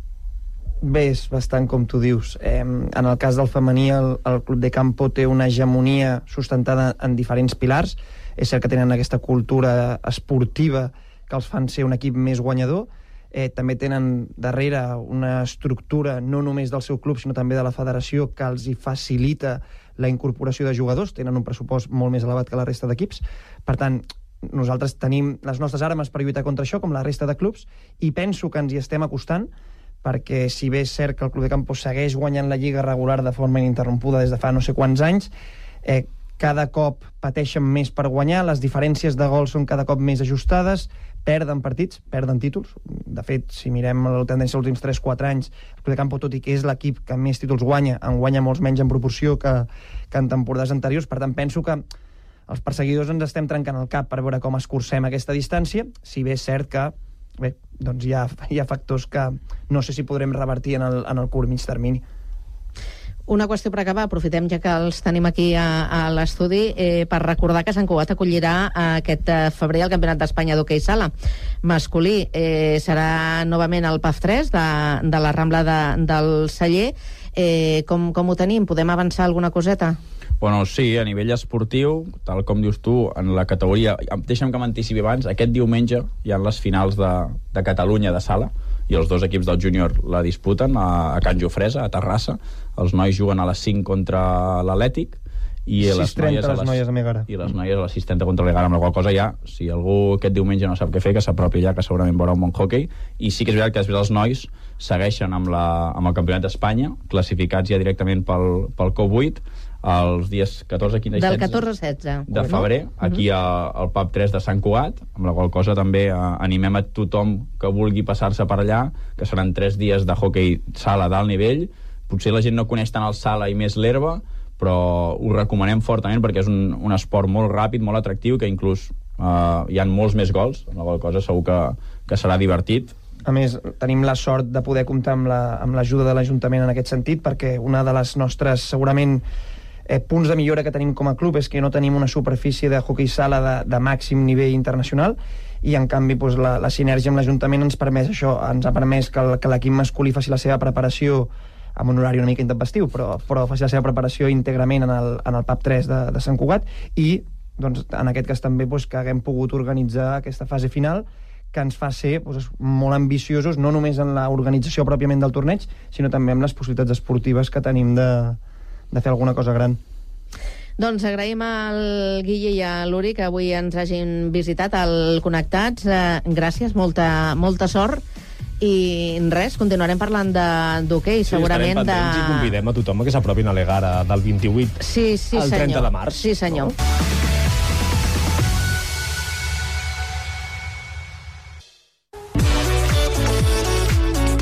Bé, és bastant com tu dius. En el cas del femení, el club de campo té una hegemonia sustentada en diferents pilars. És cert que tenen aquesta cultura esportiva que els fan ser un equip més guanyador. També tenen darrere una estructura no només del seu club, sinó també de la federació, que els hi facilita la incorporació de jugadors. Tenen un pressupost molt més elevat que la resta d'equips. Per tant, nosaltres tenim les nostres armes per lluitar contra això, com la resta de clubs, i penso que ens hi estem acostant, perquè si bé és cert que el club de campo segueix guanyant la lliga regular de forma ininterrompuda des de fa no sé quants anys, cada cop pateixen més per guanyar, les diferències de gols són cada cop més ajustades, perden partits, perden títols. De fet, si mirem la tendència dels últims 3-4 anys, el club de campo, tot i que és l'equip que més títols guanya, en guanya molts menys en proporció que en temporades anteriors. Per tant, penso que els perseguidors ens estem trencant el cap per veure com escurcem aquesta distància, si bé és cert que doncs hi ha factors que no sé si podrem revertir en el curt mig termini. Una qüestió per acabar, aprofitem ja que els tenim aquí a l'estudi per recordar que Sant Cugat acollirà aquest febrer el Campionat d'Espanya d'hoquei sala masculí. Serà novament el PAF 3 de la Rambla del Celler. Com ho tenim? Podem avançar alguna coseta? Bueno, sí, a nivell esportiu, tal com dius tu, en la categoria... Deixa'm que m'anticipi abans, aquest diumenge hi ha les finals de Catalunya de sala, i els dos equips del júnior la disputen a Can Jofresa, a Terrassa. Els nois juguen a les 5 contra l'Atlètic i les noies a Megara. I les noies a les 6:30 contra l'Egara, amb la qual cosa ja, si algú aquest diumenge no sap què fer, que s'apropi allà, que segurament veurà un bon hockey. I sí que és veritat que després els nois segueixen amb el Campionat d'Espanya, classificats ja directament pel COP8, els dies 14, 15 i 16 del 14-16 de febrer, aquí al PAP 3 de Sant Cugat, amb la qual cosa també animem a tothom que vulgui passar-se per allà, que seran 3 dies de hoquei sala d'alt nivell. Potser la gent no coneix tant el sala i més l'herba, però ho recomanem fortament perquè és un esport molt ràpid, molt atractiu, que inclús hi ha molts més gols, amb la qual cosa segur que serà divertit. A més, tenim la sort de poder comptar amb l'ajuda de l'Ajuntament en aquest sentit, perquè una de les nostres, segurament, punts de millora que tenim com a club és que no tenim una superfície de hoquei sala de màxim nivell internacional, i en canvi doncs, la sinergia amb l'Ajuntament ens permet això, ens ha permès que l'equip masculí faci la seva preparació amb un horari una mica intempestiu, però faci la seva preparació íntegrament en el PAP 3 de Sant Cugat, i doncs, en aquest cas també doncs, que haguem pogut organitzar aquesta fase final que ens fa ser doncs, molt ambiciosos, no només en l'organització pròpiament del torneig, sinó també amb les possibilitats esportives que tenim de fer alguna cosa gran. Doncs agraïm al Guille i a l'Uri que avui ens hagin visitat al Connectats. Gràcies, molta sort. I res, continuarem parlant d'hoquei, segurament de... I convidem a tothom que s'apropin a l'Egara del 28 al 30 de març. Sí, senyor.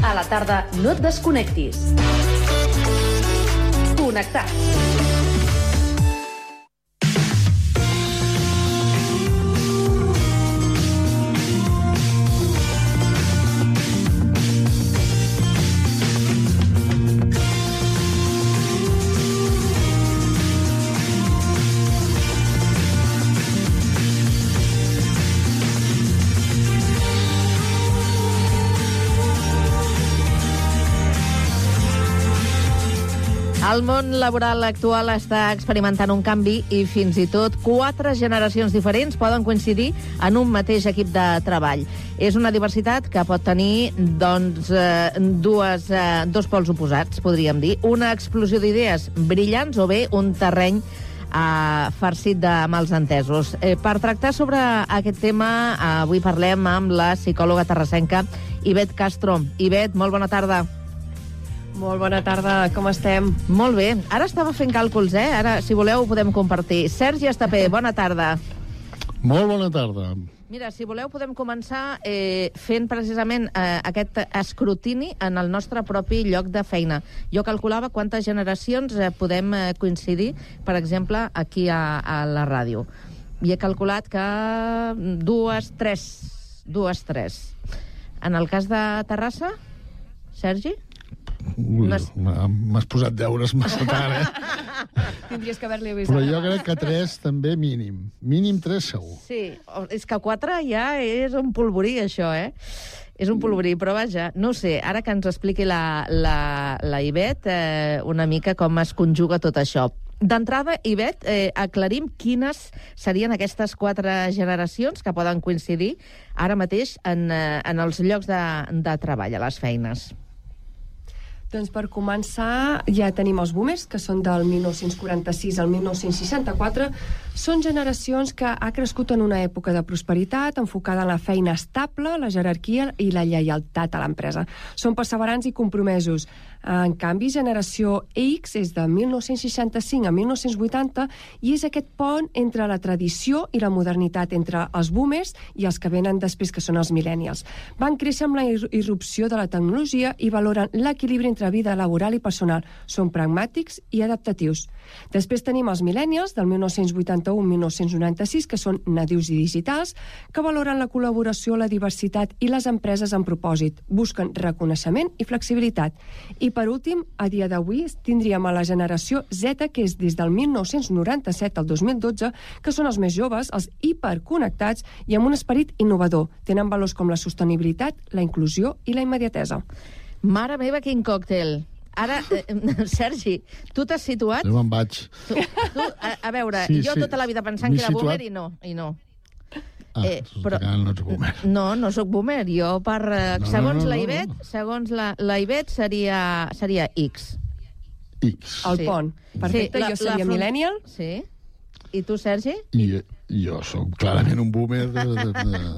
A la tarda no et desconnectis. Connectats. El món laboral actual està experimentant un canvi i fins i tot 4 generacions diferents poden coincidir en un mateix equip de treball. És una diversitat que pot tenir doncs, dos pols oposats, podríem dir. Una explosió d'idees brillants o bé un terreny farcit de malentesos. Per tractar sobre aquest tema, avui parlem amb la psicòloga terrassenca Ivet Castro. Ivet, molt bona tarda. Molt bona tarda, com estem? Molt bé. Ara estava fent càlculs, Ara, si voleu, ho podem compartir. Sergi Estapé, bona tarda. Molt bona tarda. Mira, si voleu, podem començar fent precisament aquest escrutini en el nostre propi lloc de feina. Jo calculava quantes generacions podem coincidir, per exemple, aquí a la ràdio. I he calculat que dues, tres. En el cas de Terrassa, Sergi? M'has posat deures massa tard, Tindries que haver-li avisat. Però jo crec que 3 també mínim. Mínim 3 segur. Sí, és que 4 ja és un polvorí, això, És un polvorí, però vaja, no ho sé, ara que ens expliqui la Ivet una mica com es conjuga tot això. D'entrada, Ivet, aclarim quines serien aquestes 4 generacions que poden coincidir ara mateix en els llocs de treball, a les feines. Doncs per començar ja tenim els boomers, que són del 1946 al 1964. Són generacions que ha crescut en una època de prosperitat, enfocada en la feina estable, la jerarquia i la lleialtat a l'empresa. Són perseverants i compromesos. En canvi, generació X és de 1965 a 1980 i és aquest pont entre la tradició i la modernitat, entre els boomers i els que venen després, que són els millennials. Van créixer amb la irrupció de la tecnologia i valoren l'equilibri entre vida laboral i personal. Són pragmàtics i adaptatius. Després tenim els millennials, del 1981-1996, que són nadius i digitals, que valoren la col·laboració, la diversitat i les empreses amb propòsit. Busquen reconeixement i flexibilitat. I per últim, a dia d'avui, tindríem a la generació Z, que és des del 1997 al 2012, que són els més joves, els hiperconnectats i amb un esperit innovador. Tenen valors com la sostenibilitat, la inclusió i la immediatesa. Mare meva, quin còctel! Ara, Sergi, tu t'has situat... Jo me'n vaig. A veure, jo tota la vida pensant que era boomer i no. Però no ets boomer. No soc boomer. Jo, segons la Ivet, seria X. El pont. Perfecte, jo seria millennial. Sí. I tu, Sergi? I jo sóc clarament un boomer...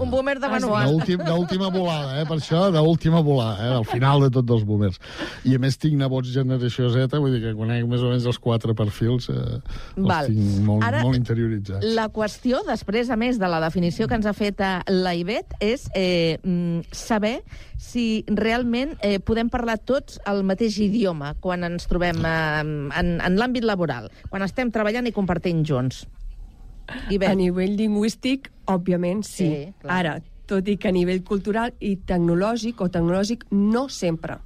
Un boomer de manual. D'última volada, per això, d'última volada, al final de tots els boomers. I a més tinc nebots generació Z, vull dir que conec més o menys els 4 perfils, els tinc molt interioritzats. La qüestió, després, a més de la definició que ens ha fet la Ivet, és saber si realment podem parlar tots el mateix idioma quan ens trobem en l'àmbit laboral, quan estem treballant i compartint junts. A nivell lingüístic, òbviament, sí. Ara, tot i que a nivell cultural i tecnològic no sempre.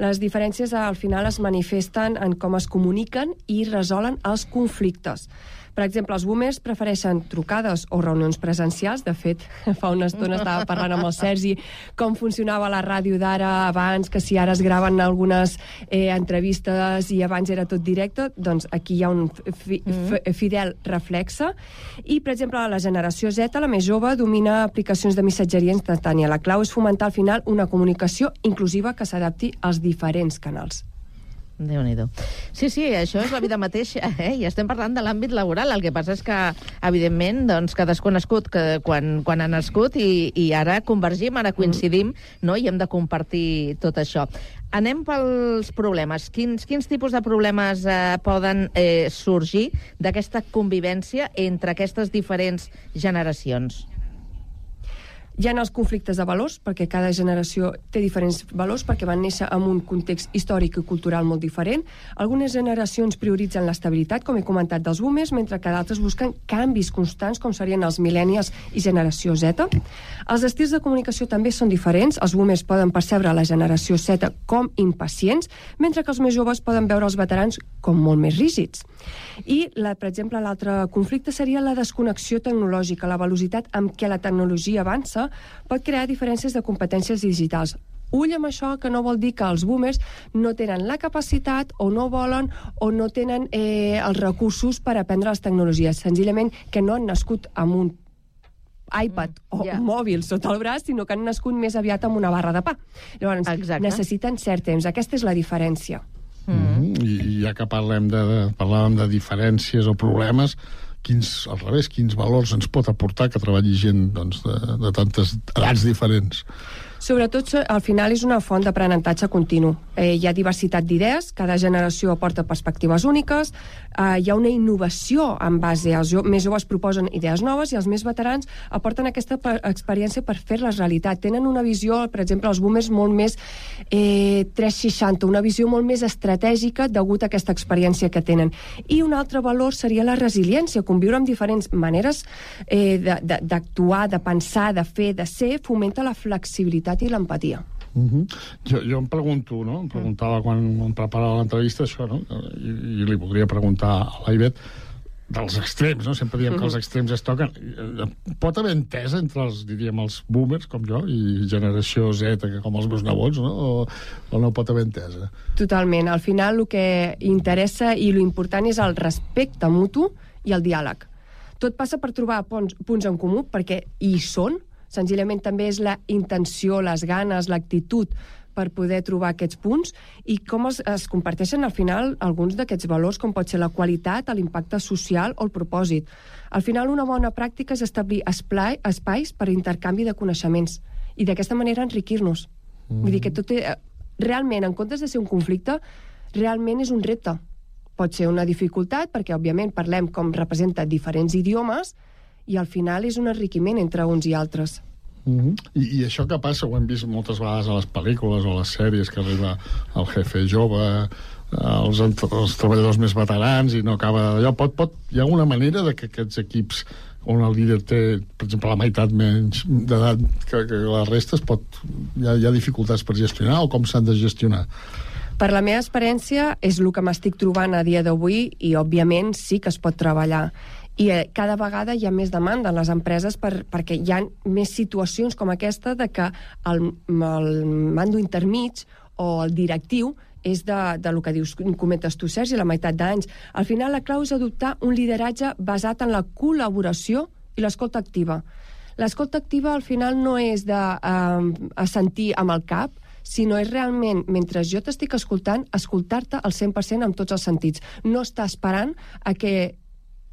Les diferències al final es manifesten en com es comuniquen i resolen els conflictes. Per exemple, els boomers prefereixen trucades o reunions presencials. De fet, fa una estona estava parlant amb el Sergi com funcionava la ràdio d'ara abans, que si ara es graven algunes entrevistes i abans era tot directe, doncs aquí hi ha un fidel reflexe. I, per exemple, la generació Z, la més jove, domina aplicacions de missatgeria instantània. La clau és fomentar al final una comunicació inclusiva que s'adapti als diferents canals. Déu-n'hi-do. Sí, això és la vida mateixa, i estem parlant de l'àmbit laboral. El que passa és que, evidentment, doncs, cadascú ha nascut quan ha nascut i ara convergim, ara coincidim, no? I hem de compartir tot això. Anem pels problemes. Quins tipus de problemes poden sorgir d'aquesta convivència entre aquestes diferents generacions? Hi ha els conflictes de valors, perquè cada generació té diferents valors, perquè van néixer en un context històric i cultural molt diferent. Algunes generacions prioritzen l'estabilitat, com he comentat, dels boomers, mentre que d'altres busquen canvis constants, com serien els millennials i generació Z. Els estils de comunicació també són diferents. Els boomers poden percebre la generació Z com impacients, mentre que els més joves poden veure els veterans com molt més rígids. I, per exemple, l'altre conflicte seria la desconnexió tecnològica, la velocitat amb què la tecnologia avança pot crear diferències de competències digitals. Ull amb això, que no vol dir que els boomers no tenen la capacitat o no volen o no tenen els recursos per aprendre les tecnologies. Senzillament que no han nascut amb un iPad o mòbil sota el braç, sinó que han nascut més aviat amb una barra de pa. Llavors, necessiten cert temps. Aquesta és la diferència. I ja que parlàvem de diferències o problemes, al revés, quins valors ens pot aportar que treballi gent de tantes edats diferents? Sobretot, al final, és una font d'aprenentatge continu. Hi ha diversitat d'idees, cada generació aporta perspectives úniques, hi ha una innovació en base als més joves proposen idees noves i els més veterans aporten aquesta experiència per fer-les realitat. Tenen una visió, per exemple, els boomers molt més 360, una visió molt més estratègica degut a aquesta experiència que tenen. I un altre valor seria la resiliència, conviure amb diferents maneres d'actuar, de pensar, de fer, de ser, fomenta la flexibilitat i l'empatia. Jo em pregunto, no? Em preguntava quan em preparava l'entrevista això, no? I li voldria preguntar a l'Aivet dels extrems, no? Sempre diem que els extrems es toquen. Pot haver entesa entre els boomers, com jo, i generació Z, com els meus nebots, no? O no pot haver entesa? Totalment. Al final, el que interessa i l'important és el respecte mutu i el diàleg. Tot passa per trobar punts en comú, perquè hi són. Senzillament també és la intenció, les ganes, l'actitud per poder trobar aquests punts i com es comparteixen al final alguns d'aquests valors, com pot ser la qualitat, l'impacte social o el propòsit. Al final, una bona pràctica és establir espais per intercanvi de coneixements i d'aquesta manera enriquir-nos. Vull dir que tot realment, en comptes de ser un conflicte, realment és un repte. Pot ser una dificultat perquè, òbviament, parlem com representa diferents idiomes i al final és un enriquiment entre uns i altres. I això que passa, ho hem vist moltes vegades a les pel·lícules o a les sèries, que arriba el jefe jove, els treballadors més veterans i no acaba d'allò. Hi ha alguna manera de que aquests equips on el líder té, per exemple, la meitat menys d'edat que la resta, hi ha dificultats per gestionar o com s'han de gestionar? Per la meva experiència és el que m'estic trobant a dia d'avui i, òbviament, sí que es pot treballar. I cada vegada hi ha més demanda en les empreses perquè hi ha més situacions com aquesta de que el mando intermig o el directiu és del que comentes tu, Sergi, la meitat d'anys. Al final, la clau és adoptar un lideratge basat en la col·laboració i l'escolta activa. L'escolta activa, al final, no és d'assentir amb el cap, sinó és realment, mentre jo t'estic escoltant, escoltar-te al 100% amb tots els sentits. No estar esperant a que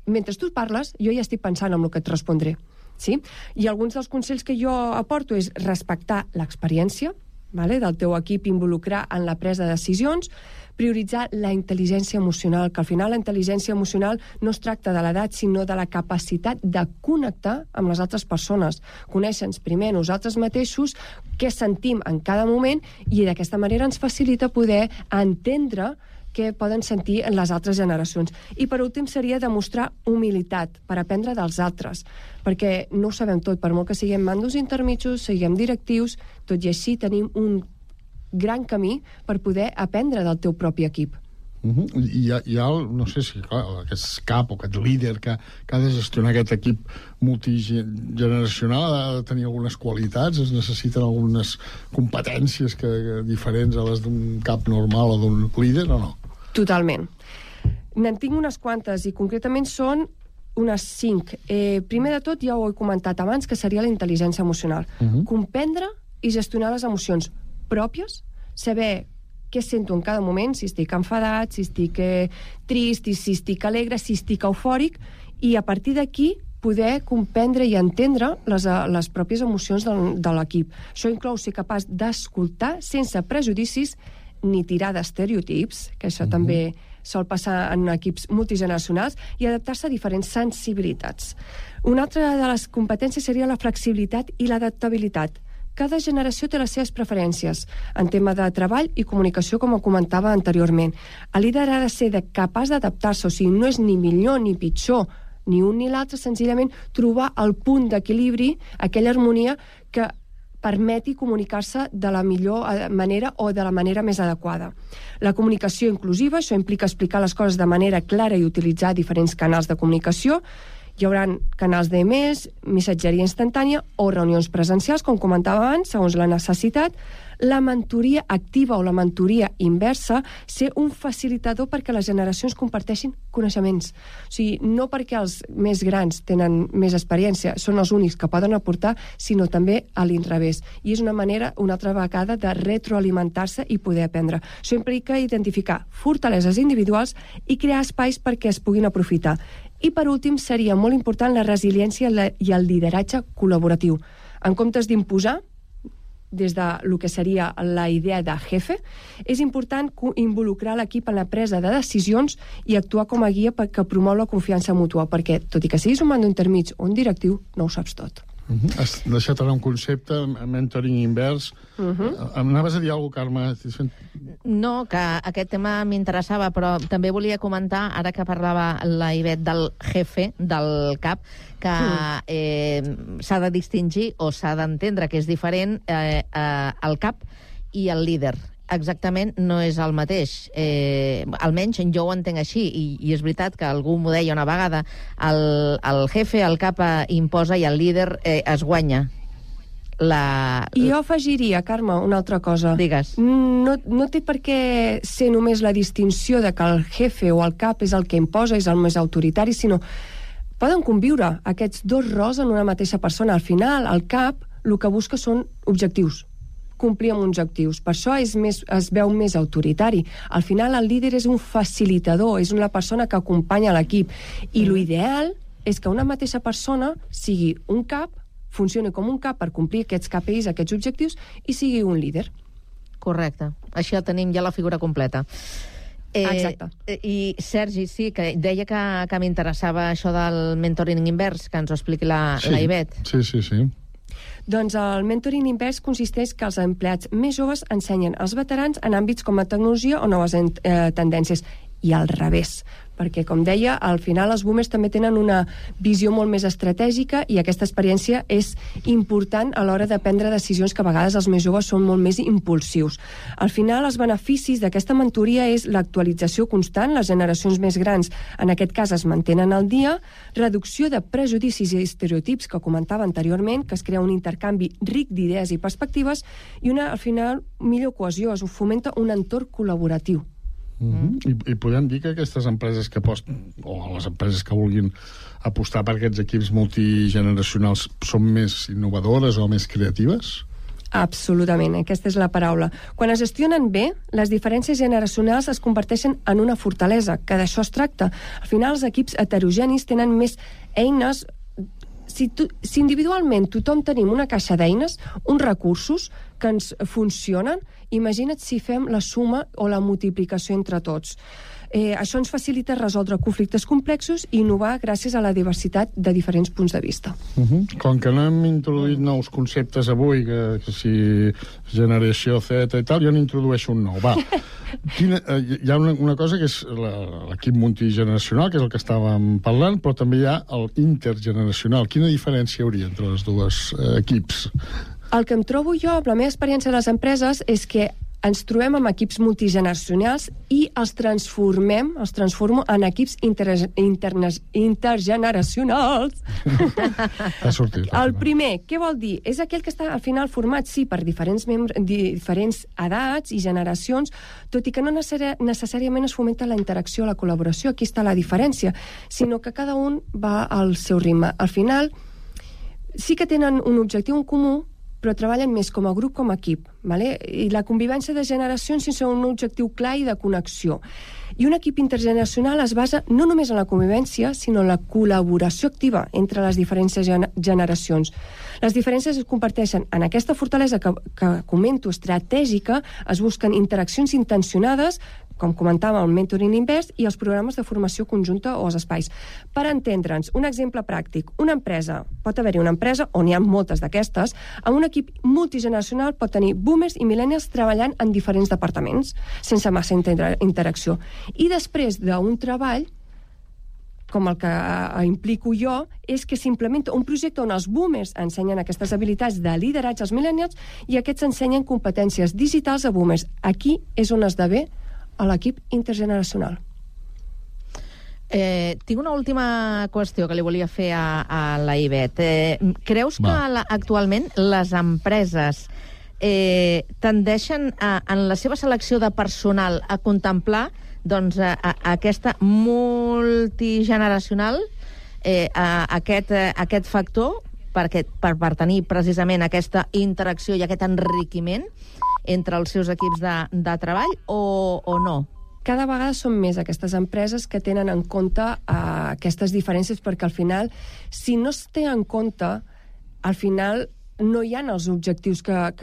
mentre tu parles, jo ja estic pensant en el que et respondré. Sí? I alguns dels consells que jo aporto és respectar l'experiència del teu equip, involucrar en la presa de decisions, prioritzar la intel·ligència emocional, que al final la intel·ligència emocional no es tracta de l'edat, sinó de la capacitat de connectar amb les altres persones. Conèixer-nos primer nosaltres mateixos, què sentim en cada moment, i d'aquesta manera ens facilita poder entendre què poden sentir en les altres generacions. I per últim seria demostrar humilitat per aprendre dels altres, perquè no ho sabem tot, per molt que siguem mandos intermitjos, siguem directius, tot i així tenim un gran camí per poder aprendre del teu propi equip. Hi ha, no sé si aquest cap o aquest líder que ha de gestionar aquest equip multigeneracional, ha de tenir algunes qualitats, es necessiten algunes competències diferents a les d'un cap normal o d'un líder o no? Totalment. N'en tinc unes quantes i concretament són unes 5. Primer de tot, ja ho he comentat abans, que seria la intel·ligència emocional. Comprendre i gestionar les emocions pròpies, saber què sento en cada moment, si estic enfadat, si estic trist, si estic alegre, si estic eufòric, i a partir d'aquí poder comprendre i entendre les pròpies emocions de l'equip. Això inclou ser capaç d'escoltar sense prejudicis ni tirar d'estereotips, que això també sol passar en equips multigeneracionals, i adaptar-se a diferents sensibilitats. Una altra de les competències seria la flexibilitat i l'adaptabilitat. Cada generació té les seves preferències en tema de treball i comunicació, com ho comentava anteriorment. El líder ha de ser capaç d'adaptar-se, o sigui, no és ni millor ni pitjor, ni un ni l'altre, senzillament trobar el punt d'equilibri, aquella harmonia que permeti comunicar-se de la millor manera o de la manera més adequada. La comunicació inclusiva, això implica explicar les coses de manera clara i utilitzar diferents canals de comunicació, Hi haurà canals d'emails, missatgeria instantània o reunions presencials, com comentava abans, segons la necessitat. La mentoria activa o la mentoria inversa, ser un facilitador perquè les generacions comparteixin coneixements. O sigui, no perquè els més grans tenen més experiència, són els únics que poden aportar, sinó també a l'inrevés. I és una manera, una altra vegada, de retroalimentar-se i poder aprendre. Això implica identificar fortaleses individuals i crear espais perquè es puguin aprofitar. I, per últim, seria molt important la resiliència i el lideratge col·laboratiu. En comptes d'imposar, des de lo que seria la idea de jefe, és important involucrar l'equip en la presa de decisions i actuar com a guia que promou la confiança mútua, perquè, tot i que siguis un mando intermig o un directiu, no ho saps tot. Has deixat ara un concepte, mentoring invers. Anaves a dir alguna cosa, Carme? No, que aquest tema m'interessava, però també volia comentar, ara que parlava la Ivet del jefe, del cap, que s'ha de distingir o s'ha d'entendre que és diferent el cap i el líder. Exactament no és el mateix. Almenys jo ho entenc així, i és veritat que algú m'ho deia una vegada, el jefe, el cap imposa i el líder es guanya. I jo afegiria, Carme, una altra cosa. Digues. No té per què ser només la distinció de que el jefe o el cap és el que imposa, és el més autoritari, sinó poden conviure aquests dos rols en una mateixa persona. Al final, el cap el que busca són objectius, complir amb objectius. Per això es veu més autoritari. Al final, el líder és un facilitador, és una persona que acompanya l'equip. I l'ideal és que una mateixa persona sigui un cap, funcioni com un cap per complir aquests KPIs, aquests objectius, i sigui un líder. Correcte. Així ja tenim ja la figura completa. Exacte. I Sergi, sí, que deia que m'interessava això del mentoring invers, que ens ho expliqui la Ivet. Sí. Doncs el mentoring invers consisteix que els empleats més joves ensenyen als veterans en àmbits com la tecnologia o noves tendències, i al revés. Perquè, com deia, al final els boomers també tenen una visió molt més estratègica i aquesta experiència és important a l'hora de prendre decisions que a vegades els més joves són molt més impulsius. Al final, els beneficis d'aquesta mentoria és l'actualització constant, les generacions més grans, en aquest cas, es mantenen al dia, reducció de prejudicis i estereotips que comentava anteriorment, que es crea un intercanvi ric d'idees i perspectives, i al final, millor cohesió, es fomenta un entorn col·laboratiu. I podem dir que aquestes empreses que aposten, o les empreses que vulguin apostar per aquests equips multigeneracionals, són més innovadores o més creatives? Absolutament, aquesta és la paraula. Quan es gestionen bé, les diferències generacionals es converteixen en una fortalesa, que d'això es tracta. Al final, els equips heterogenis tenen més eines. Si individualment tothom tenim una caixa d'eines, uns recursos que ens funcionen, imagina't si fem la suma o la multiplicació entre tots. Això ens facilita resoldre conflictes complexos i innovar gràcies a la diversitat de diferents punts de vista. Com que no hem introduït nous conceptes avui, que si generació Z i tal, jo n'introdueixo un nou. Va. Hi ha una cosa que és l'equip multigeneracional, que és el que estàvem parlant, però també hi ha el intergeneracional. Quina diferència hi hauria entre els dos equips? El que em trobo jo, amb la meva experiència a les empreses, és que ens trobem amb equips multigeneracionals i els transformo en equips intergeneracionals. El primer, què vol dir? És aquell que està al final format, sí, per diferents edats i generacions, tot i que no necessàriament es fomenta la interacció, la col·laboració, aquí està la diferència, sinó que cada un va al seu ritme. Al final, sí que tenen un objectiu en comú, però treballen més com a grup, com a equip. I la convivència de generacions sense un objectiu clar i de connexió. I un equip intergeneracional es basa no només en la convivència, sinó en la col·laboració activa entre les diferents generacions. Les diferències es comparteixen en aquesta fortalesa que comento estratègica, es busquen interaccions intencionades, com comentàvem, el mentoring invers i els programes de formació conjunta o els espais. Per entendre'ns, un exemple pràctic, una empresa, pot haver-hi una empresa, on hi ha moltes d'aquestes, amb un equip multigeneracional pot tenir boomers i millennials treballant en diferents departaments, sense massa interacció. I després d'un treball, com el que implico jo, és que s'implementa un projecte on els boomers ensenyen aquestes habilitats de lideratge als millennials i aquests ensenyen competències digitals a boomers. Aquí és on esdevé a l'equip intergeneracional. Tinc una última qüestió que li volia fer a la Ivet. Creus que actualment les empreses tendeixen en la seva selecció de personal a contemplar doncs, aquesta multigeneracional, aquest factor, per tenir precisament aquesta interacció i aquest enriquiment entre els seus equips de treball, o no? Cada vegada són més aquestes empreses que tenen en compte aquestes diferències, perquè al final, si no es té en compte, al final no hi ha els objectius que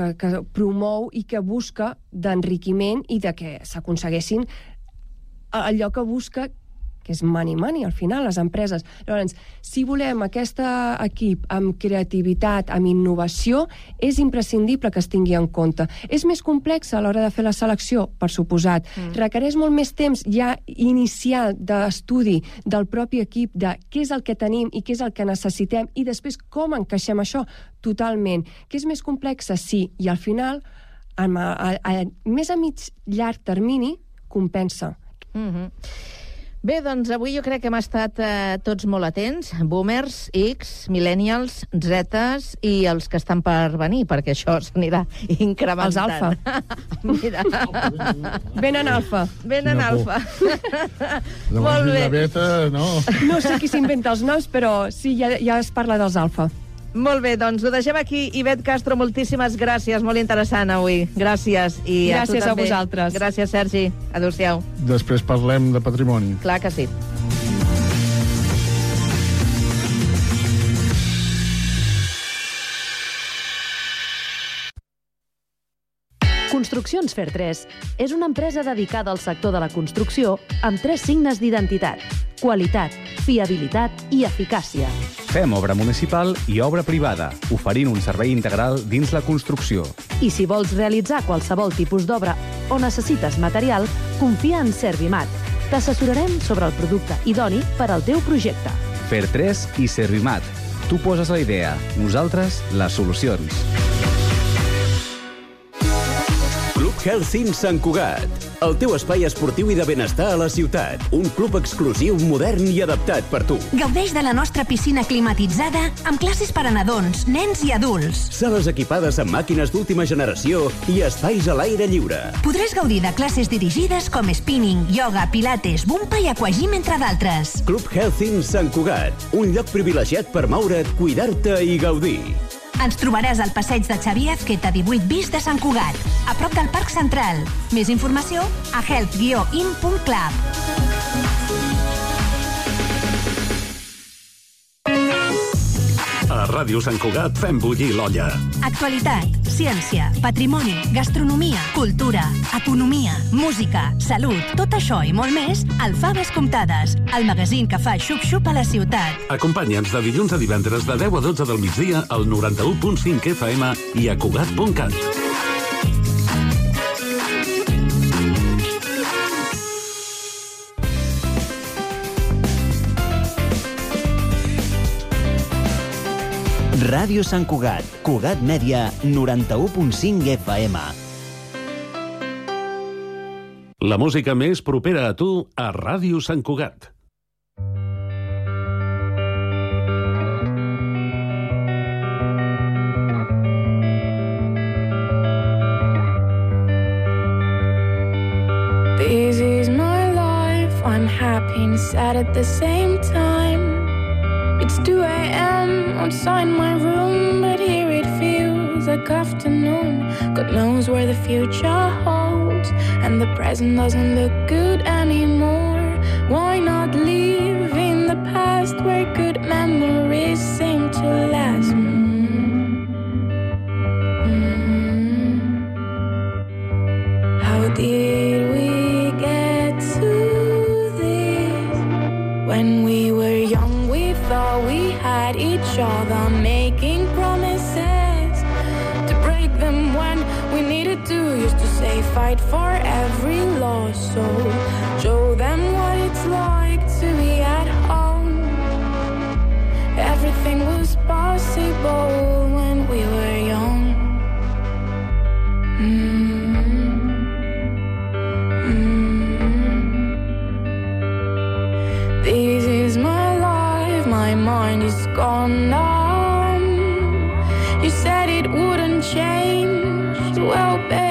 promou i que busca d'enriquiment i de que s'aconseguessin allò que busca, que és money, al final, les empreses. Llavors, si volem aquest equip amb creativitat, amb innovació, és imprescindible que es tingui en compte. És més complex a l'hora de fer la selecció, per suposat. Requereix molt més temps ja inicial d'estudi del propi equip, de què és el que tenim i què és el que necessitem, i després com encaixem això totalment. Que és més complex, sí, i al final, més a mig llarg termini, compensa. Bé, doncs avui jo crec que hem estat tots molt atents, boomers, X, millennials, Zetes i els que estan per venir, perquè això s'anirà incrementant. Els alfa. Mira. Venen alfa. Venen alfa. Molt bé. La beta, no. No sé qui s'inventa els noms, però sí, ja es parla dels alfa. Molt bé, doncs ho deixem aquí. Ivet Castro, moltíssimes gràcies, molt interessant avui. Gràcies. I gràcies a tu també. Vosaltres. Gràcies, Sergi. Adéu-siau. Després parlem de patrimoni. Clar que sí. Construccions Fer3 és una empresa dedicada al sector de la construcció amb 3 signes d'identitat: qualitat, fiabilitat i eficàcia. Fem obra municipal i obra privada, oferint un servei integral dins la construcció. I si vols realitzar qualsevol tipus d'obra o necessites material, confia en Servimat. T'assessorarem sobre el producte idoni per al teu projecte. Fer3 i Servimat. Tu poses la idea, nosaltres les solucions. Club Health Sant Cugat, el teu espai esportiu i de benestar a la ciutat. Un club exclusiu, modern i adaptat per tu. Gaudeix de la nostra piscina climatitzada amb classes per a nadons, nens i adults. Sales equipades amb màquines d'última generació i espais a l'aire lliure. Podràs gaudir de classes dirigides com spinning, yoga, pilates, bumpa i aquagym, entre d'altres. Club Health Sant Cugat, un lloc privilegiat per moure't, cuidar-te i gaudir. Ens trobaràs al passeig de Xavier Ezqueta 18 bis de Sant Cugat, a prop del Parc Central. Més informació a health-in.club. A Ràdio Sant Cugat fem bullir l'olla. Actualitat, ciència, patrimoni, gastronomia, cultura, economia, música, salut, tot això i molt més al Faves Comptades, el magazín que fa xup-xup a la ciutat. Acompanya'ns de dilluns a divendres de 10 a 12 del migdia al 91.5 FM i a Cugat.cat. Ràdio Sant Cugat, Cugat Mèdia, 91.5 FM. La música més propera a tu a Ràdio Sant Cugat. This is my life, I'm happy and sad at the same time. It's 2 a.m. outside my room, but here it feels like afternoon. God knows where the future holds, and the present doesn't look good anymore. Why not live in the past where good memories seem to last? How did we get to this? When we were young, we thought we had each other, making promises to break them when we needed to. Used to say fight for every loss, so show them what it's like to be at home. Everything was possible when we were young. The numb. You said it wouldn't change. Well, babe,